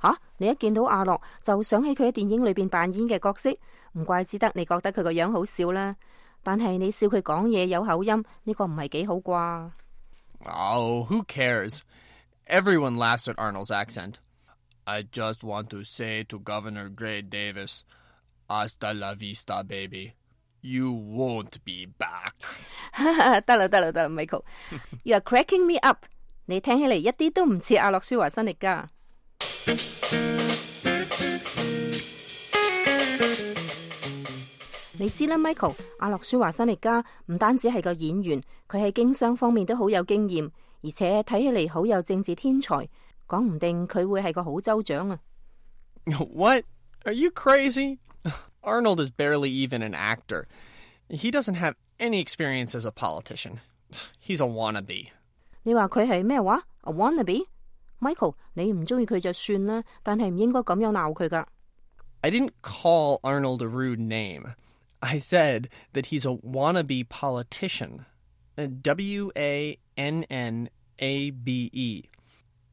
吓，你一見到阿諾就想起佢喺電影裏邊扮演嘅角色，唔怪之得你覺得佢個樣好笑啦。但係你笑佢講嘢有口音，呢個唔係幾好啩？Oh, who cares? Everyone laughs at Arnold's accent. I just want to say to Governor Gray Davis, hasta la vista, baby. You won't be back. 得啦得啦得啦 ，Michael. You are cracking me up. 你聽起嚟一啲都唔似阿諾舒華辛力加。你知啦 ，Michael， 阿諾舒華辛力加唔單止係個演員，佢喺經商方面都好有經驗，而且睇起嚟好有政治天才，講唔定佢會係個好州長啊 ！What? Are you crazy? Arnold is barely even an actor. He doesn't have any experience as a politician. He's a wannabe. 你話佢係咩話 ？A wannabe? Michael， 你唔中意佢就算啦，但係唔應該咁樣鬧佢噶。I didn't call Arnold a rude name. I said that he's a wannabe politician. W A N N A B E.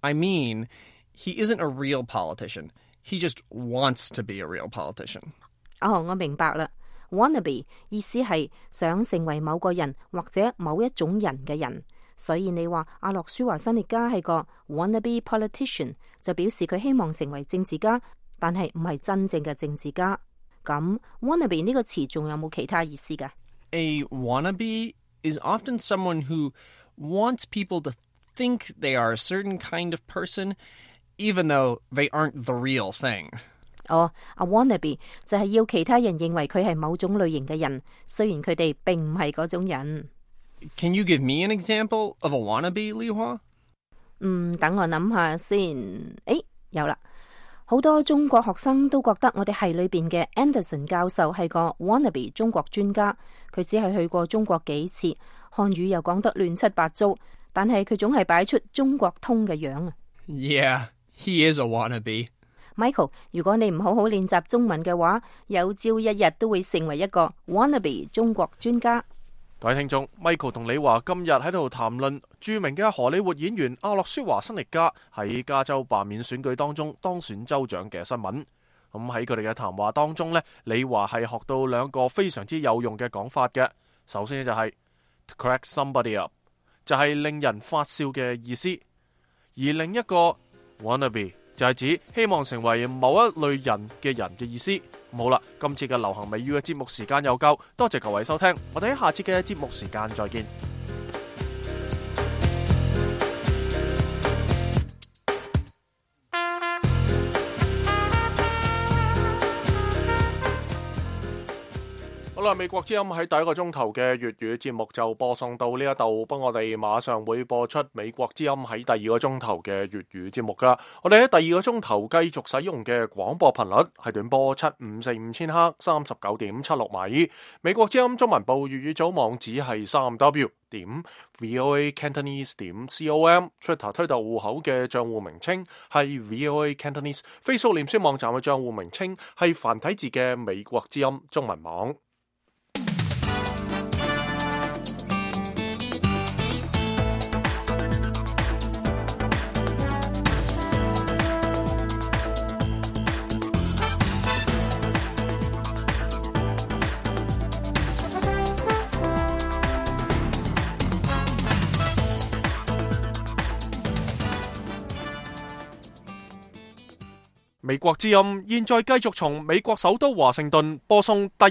I mean, he isn't a real politician. He just wants to be a real politician. 哦，我明白啦。Wannabe 意思係想成為某個人或者某一種人嘅人，所以你話阿諾舒華辛力加係個 wannabe politician， 就表示佢希望成為政治家，但係唔係真正嘅政治家。咁 wannabe 呢個詞仲有冇其他意思㗎？ A wannabe is often someone who wants people to think they are a certain kind of person, even though they aren't the real thing. 哦，阿 wannabe 就係要其他人認為佢係某種類型嘅人，雖然佢哋並唔係嗰種人。Can you give me an example of a wannabe, Li Hua? 嗯，等我諗下先。誒，有啦。好多中國學生都覺得我哋系裏邊嘅 Anderson 教授係個 wannabe 中國專家，佢只係去過中國幾次，漢語又講得亂七八糟，但係佢總係擺出中國通嘅樣啊。Yeah, he is a wannabe. Michael， 如果你唔好好練習中文嘅話，有朝一日都會成為一個 wannabe 中國專家。各位聽眾 ，Michael 同李華今日喺度談論著名嘅荷里活演員阿諾舒華辛力加喺加州罷免選舉當中當選州長嘅新聞。咁喺佢哋嘅談話當中呢，李華係學到兩個非常之有用嘅講法嘅。首先就係 to crack somebody up， 就係令人發笑嘅意思；而另一個 wannabe 就係指希望成為某一類人嘅人嘅意思。好啦，今次嘅流行美語嘅節目時間又夠，多謝各位收聽，我哋喺下次嘅節目時間再見。好啦，美國之音喺第一個鐘頭嘅粵語節目就播送到呢一度，不過我哋馬上會播出美國之音喺第二個鐘頭嘅粵語節目噶。我哋喺第二個鐘頭繼續使用嘅廣播頻率係短波七五四五千赫三十九點七六米。美國之音中文部粵語組網址係三 w 點 voa cantonese 點 com，Twitter 推特戶口嘅賬戶名稱係 voa cantonese，Facebook 臉書網站嘅賬戶名稱係繁體字嘅美國之音中文網。美國之音現在繼續從美國首都華盛頓播送第